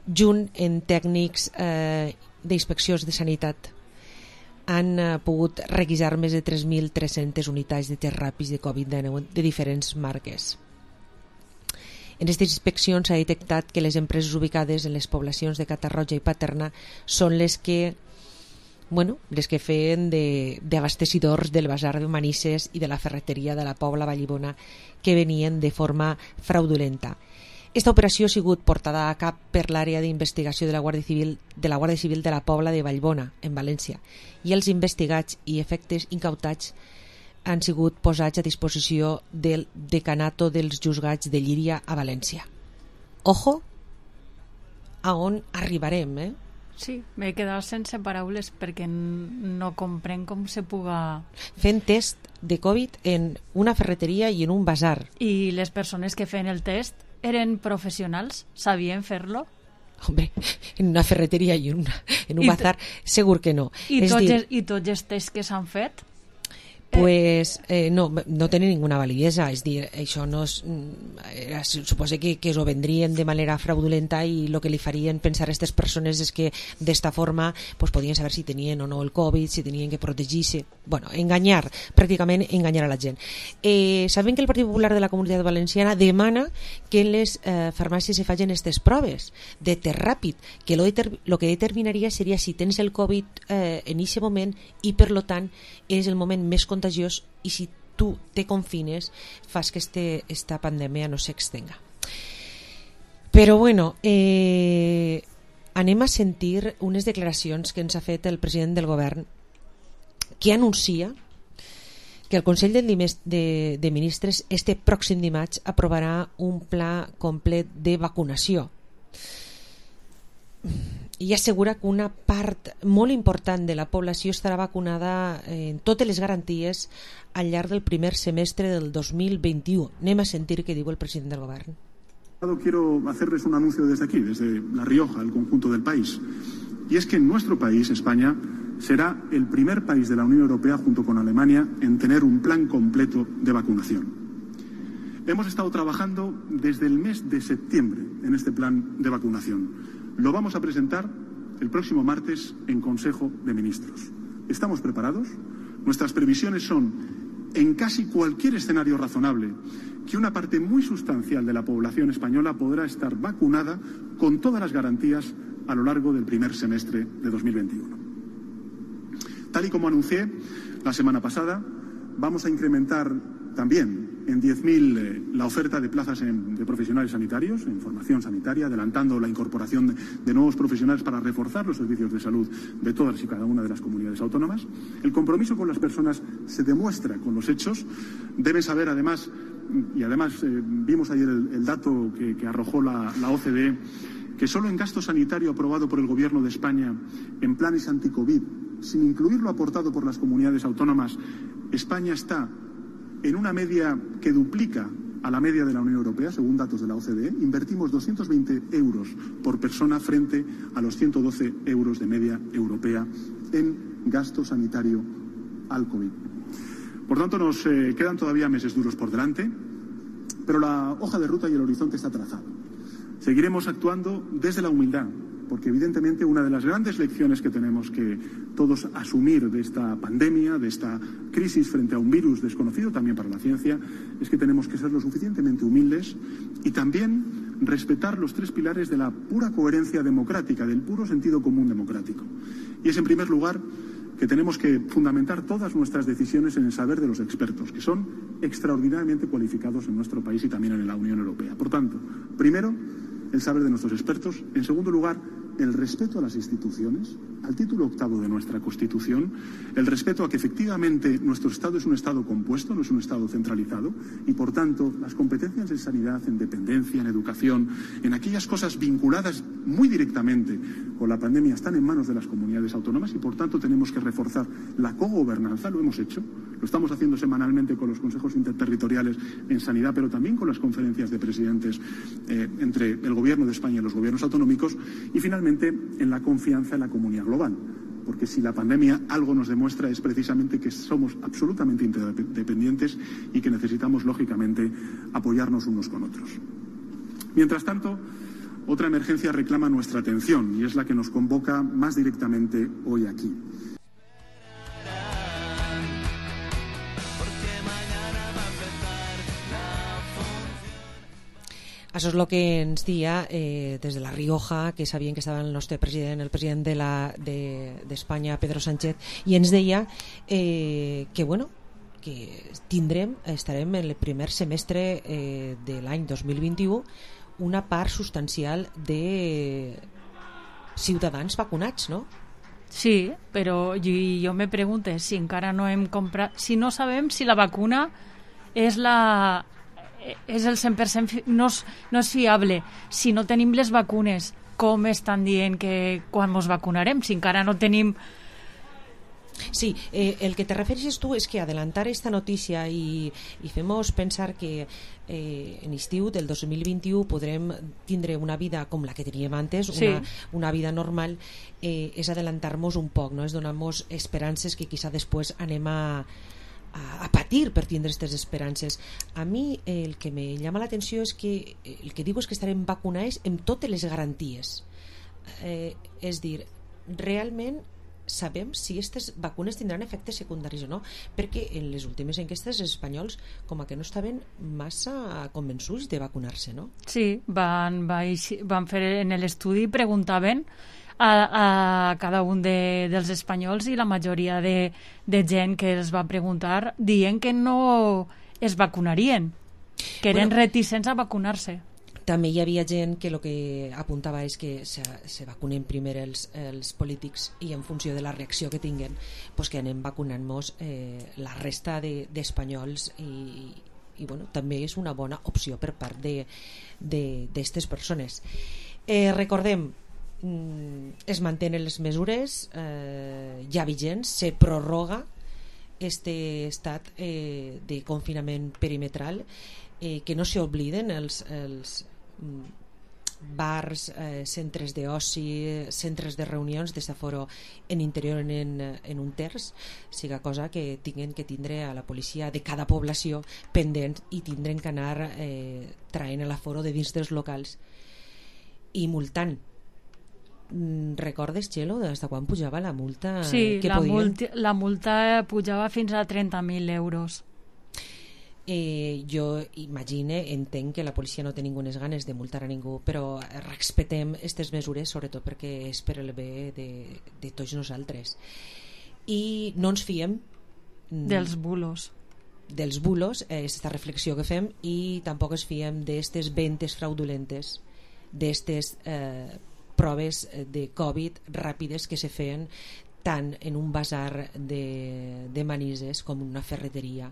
junt en tècnics d'inspeccions de sanitat. Han pogut requisar més de 3.300 unitats de tests ràpids de Covid-19 de diferents marques. En aquestes inspeccions s'ha detectat que les empreses ubicades en les poblacions de Catarroja i Paterna són les que feien d'abastecedors del basar de Manises i de la ferreteria de la Pobla Vallibona, que venien de forma fraudulenta. Esta operació ha sigut portada a cap per l'àrea d'investigació de la Guàrdia Civil de la Pobla de Vallbona, en València, i els investigats i efectes incautats han sigut posats a disposició del decanato dels juzgats de Llíria a València. Ojo a on arribarem, Sí, m'he quedat sense paraules perquè no comprenc com se puga... Fent test de Covid en una ferreteria i en un basar. I les persones que feien el test eren professionals? Sabien fer-lo? Hombre, en una ferreteria i en un bazar segur que no. I tots els tests que s'han fet? pues no tenen ninguna validesa, és dir, això no és, suposa que es ho vendrien de manera fraudulenta i el que li farien pensar a aquestes persones és que d'esta forma pues, podien saber si tenien o no el Covid, si tenien que protegir-se, bueno, pràcticament enganyar a la gent. Sabem que el Partit Popular de la Comunitat Valenciana demana que en les farmàcies se facin aquestes proves de test ràpid, que lo que determinaria seria si tens el Covid en aquest moment i per lo tant és el moment més contagiós i si tu te confines fas que esta pandèmia no s'extenga. Però bueno, anem a sentir unes declaracions que ens ha fet el president del govern que anuncia que el Consell de Ministres este pròxim dimarts aprovarà un pla complet de vacunació i assegura que una part molt important de la població estarà vacunada en totes les garanties al llarg del primer semestre del 2021. Anem a sentir què diu el president del govern. Quiero hacerles un anuncio desde aquí, desde La Rioja, el conjunto del país. Y es que nuestro país, España, será el primer país de la Unión Europea, junto con Alemania, en tener un plan completo de vacunación. Hemos estado trabajando desde el mes de septiembre en este plan de vacunación. Lo vamos a presentar el próximo martes en Consejo de Ministros. ¿Estamos preparados? Nuestras previsiones son, en casi cualquier escenario razonable, que una parte muy sustancial de la población española podrá estar vacunada con todas las garantías a lo largo del primer semestre de 2021. Tal y como anuncié la semana pasada, vamos a incrementar también en 10.000 la oferta de plazas de profesionales sanitarios, en formación sanitaria, adelantando la incorporación de nuevos profesionales para reforzar los servicios de salud de todas y cada una de las comunidades autónomas. El compromiso con las personas se demuestra con los hechos. Deben saber además, y además vimos ayer el dato que arrojó la OCDE, que solo en gasto sanitario aprobado por el Gobierno de España en planes anti-COVID, sin incluir lo aportado por las comunidades autónomas, España está en una media que duplica a la media de la Unión Europea, según datos de la OCDE. Invertimos 220 euros por persona frente a los 112 euros de media europea en gasto sanitario al COVID. Por tanto, nos quedan todavía meses duros por delante, pero la hoja de ruta y el horizonte está trazado. Seguiremos actuando desde la humildad, porque evidentemente una de las grandes lecciones que tenemos que todos asumir de esta pandemia, de esta crisis frente a un virus desconocido también para la ciencia, es que tenemos que ser lo suficientemente humildes y también respetar los tres pilares de la pura coherencia democrática, del puro sentido común democrático. Y es, en primer lugar, que tenemos que fundamentar todas nuestras decisiones en el saber de los expertos, que son extraordinariamente cualificados en nuestro país y también en la Unión Europea. Por tanto, primero, el saber de nuestros expertos. En segundo lugar, el respeto a las instituciones, al título 8º de nuestra Constitución, el respeto a que efectivamente nuestro Estado es un Estado compuesto, no es un Estado centralizado, y por tanto las competencias en sanidad, en dependencia, en educación, en aquellas cosas vinculadas muy directamente con la pandemia están en manos de las comunidades autónomas y por tanto tenemos que reforzar la cogobernanza. Lo hemos hecho, lo estamos haciendo semanalmente con los consejos interterritoriales en sanidad, pero también con las conferencias de presidentes entre el Gobierno de España y los gobiernos autonómicos, y finalmente en la confianza en la comunidad global, porque si la pandemia algo nos demuestra es precisamente que somos absolutamente interdependientes y que necesitamos lógicamente apoyarnos unos con otros. Mientras tanto, otra emergencia reclama nuestra atención y es la que nos convoca más directamente hoy aquí. Això és el que ens dia des de La Rioja, que sabien que estava el nostre president, el president d'Espanya, Pedro Sánchez, i ens deia que, bueno, que estarem en el primer semestre de l'any 2021 una part substancial de ciutadans vacunats, no? Sí, però jo me pregunto si encara no hem comprat, si no sabem si la vacuna és el 100%, no és fiable. Si no tenim les vacunes, com estan dient que quan ens vacunarem? Si encara no tenim... Sí, el que te refereixes tu és que adelantar esta notícia i fem-nos pensar que en estiu del 2021 podrem tindre una vida com la que teníem antes, una vida normal, és adelantar-nos un poc, no? És donar-nos esperances que quizá després anem a a patir per tindre aquestes esperances. A mi el que me llama l'atenció és que el que diu és que estarem vacunats amb totes les garanties. És dir, realment sabem si aquestes vacunes tindran efectes secundaris o no, perquè en les últimes enquestes els espanyols com a que no estaven massa convençuts de vacunar-se, no? Sí, van fer en l'estudi, preguntaven a cada un dels espanyols i la majoria de gent que els va preguntar dient que no es vacunarien, que eren reticents a vacunar-se. També hi havia gent que el que apuntava és que se vacunen primer els polítics i en funció de la reacció que tinguen pues que anem vacunant-nos la resta d'espanyols i bueno, també és una bona opció per part d'aquestes persones. Recordem, es mantenen les mesures ja vigents, se prorroga este estat de confinament perimetral, que no s'obliden els bars, centres d'oci, centres de reunions de s'aforo en interior en un terç, siga cosa que tinguen que tindre a la policia de cada població pendent i tindren que anar traient l'aforo de dins dels locals i multant. Recordes, Txelo, des de quan pujava la multa? Sí, la multa pujava fins a 30.000 euros. Jo entenc que la policia no té ningunes ganes de multar a ningú, però respectem aquestes mesures sobretot perquè és per el bé de tots nosaltres i no ens fiem dels bulos, aquesta reflexió que fem, i tampoc ens fiem d'aquestes ventes fraudulentes, d'aquestes proves de Covid ràpides que se feien tant en un basar de Manises com en una ferreteria,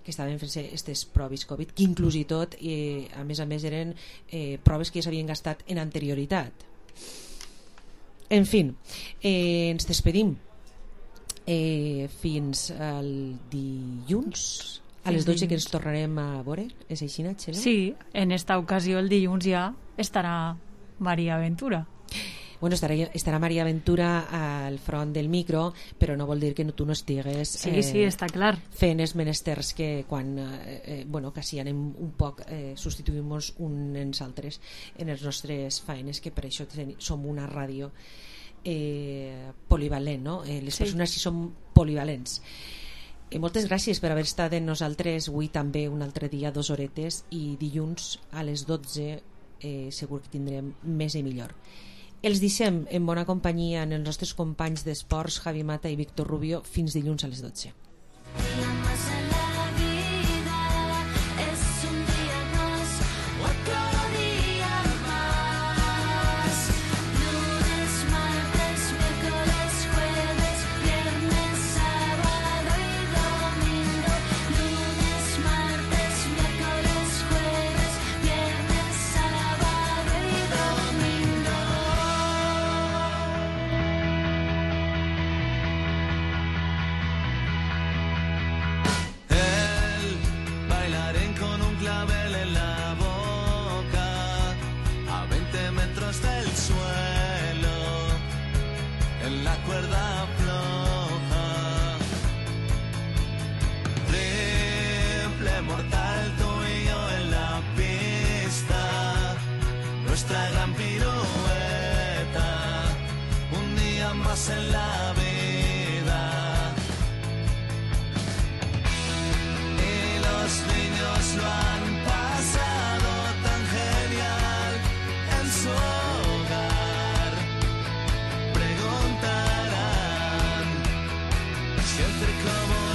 que estaven fent-se aquestes proves Covid, que inclús i tot, a més eren proves que ja s'havien gastat en anterioritat. En fi, ens despedim fins al dilluns a les 12, que ens tornarem a veure. És així, Txelo? Sí, en esta ocasió el dilluns ja estarà Maria Ventura. Bueno, estarà Maria Ventura al front del micro, però no vol dir que tu no estigues sí, està clar, fent els menesters que quan quasi anem un poc substituïm-nos uns altres en les nostres feines, que per això som una ràdio polivalent, no? Les persones sí som polivalents. Moltes gràcies per haver estat amb nosaltres avui també un altre dia, 2 horetes, i dilluns a les 12 segur que tindrem més i millor. Els deixem en bona companyia en els nostres companys d'esports, Javi Mata i Víctor Rubio, fins dilluns a les 12. En la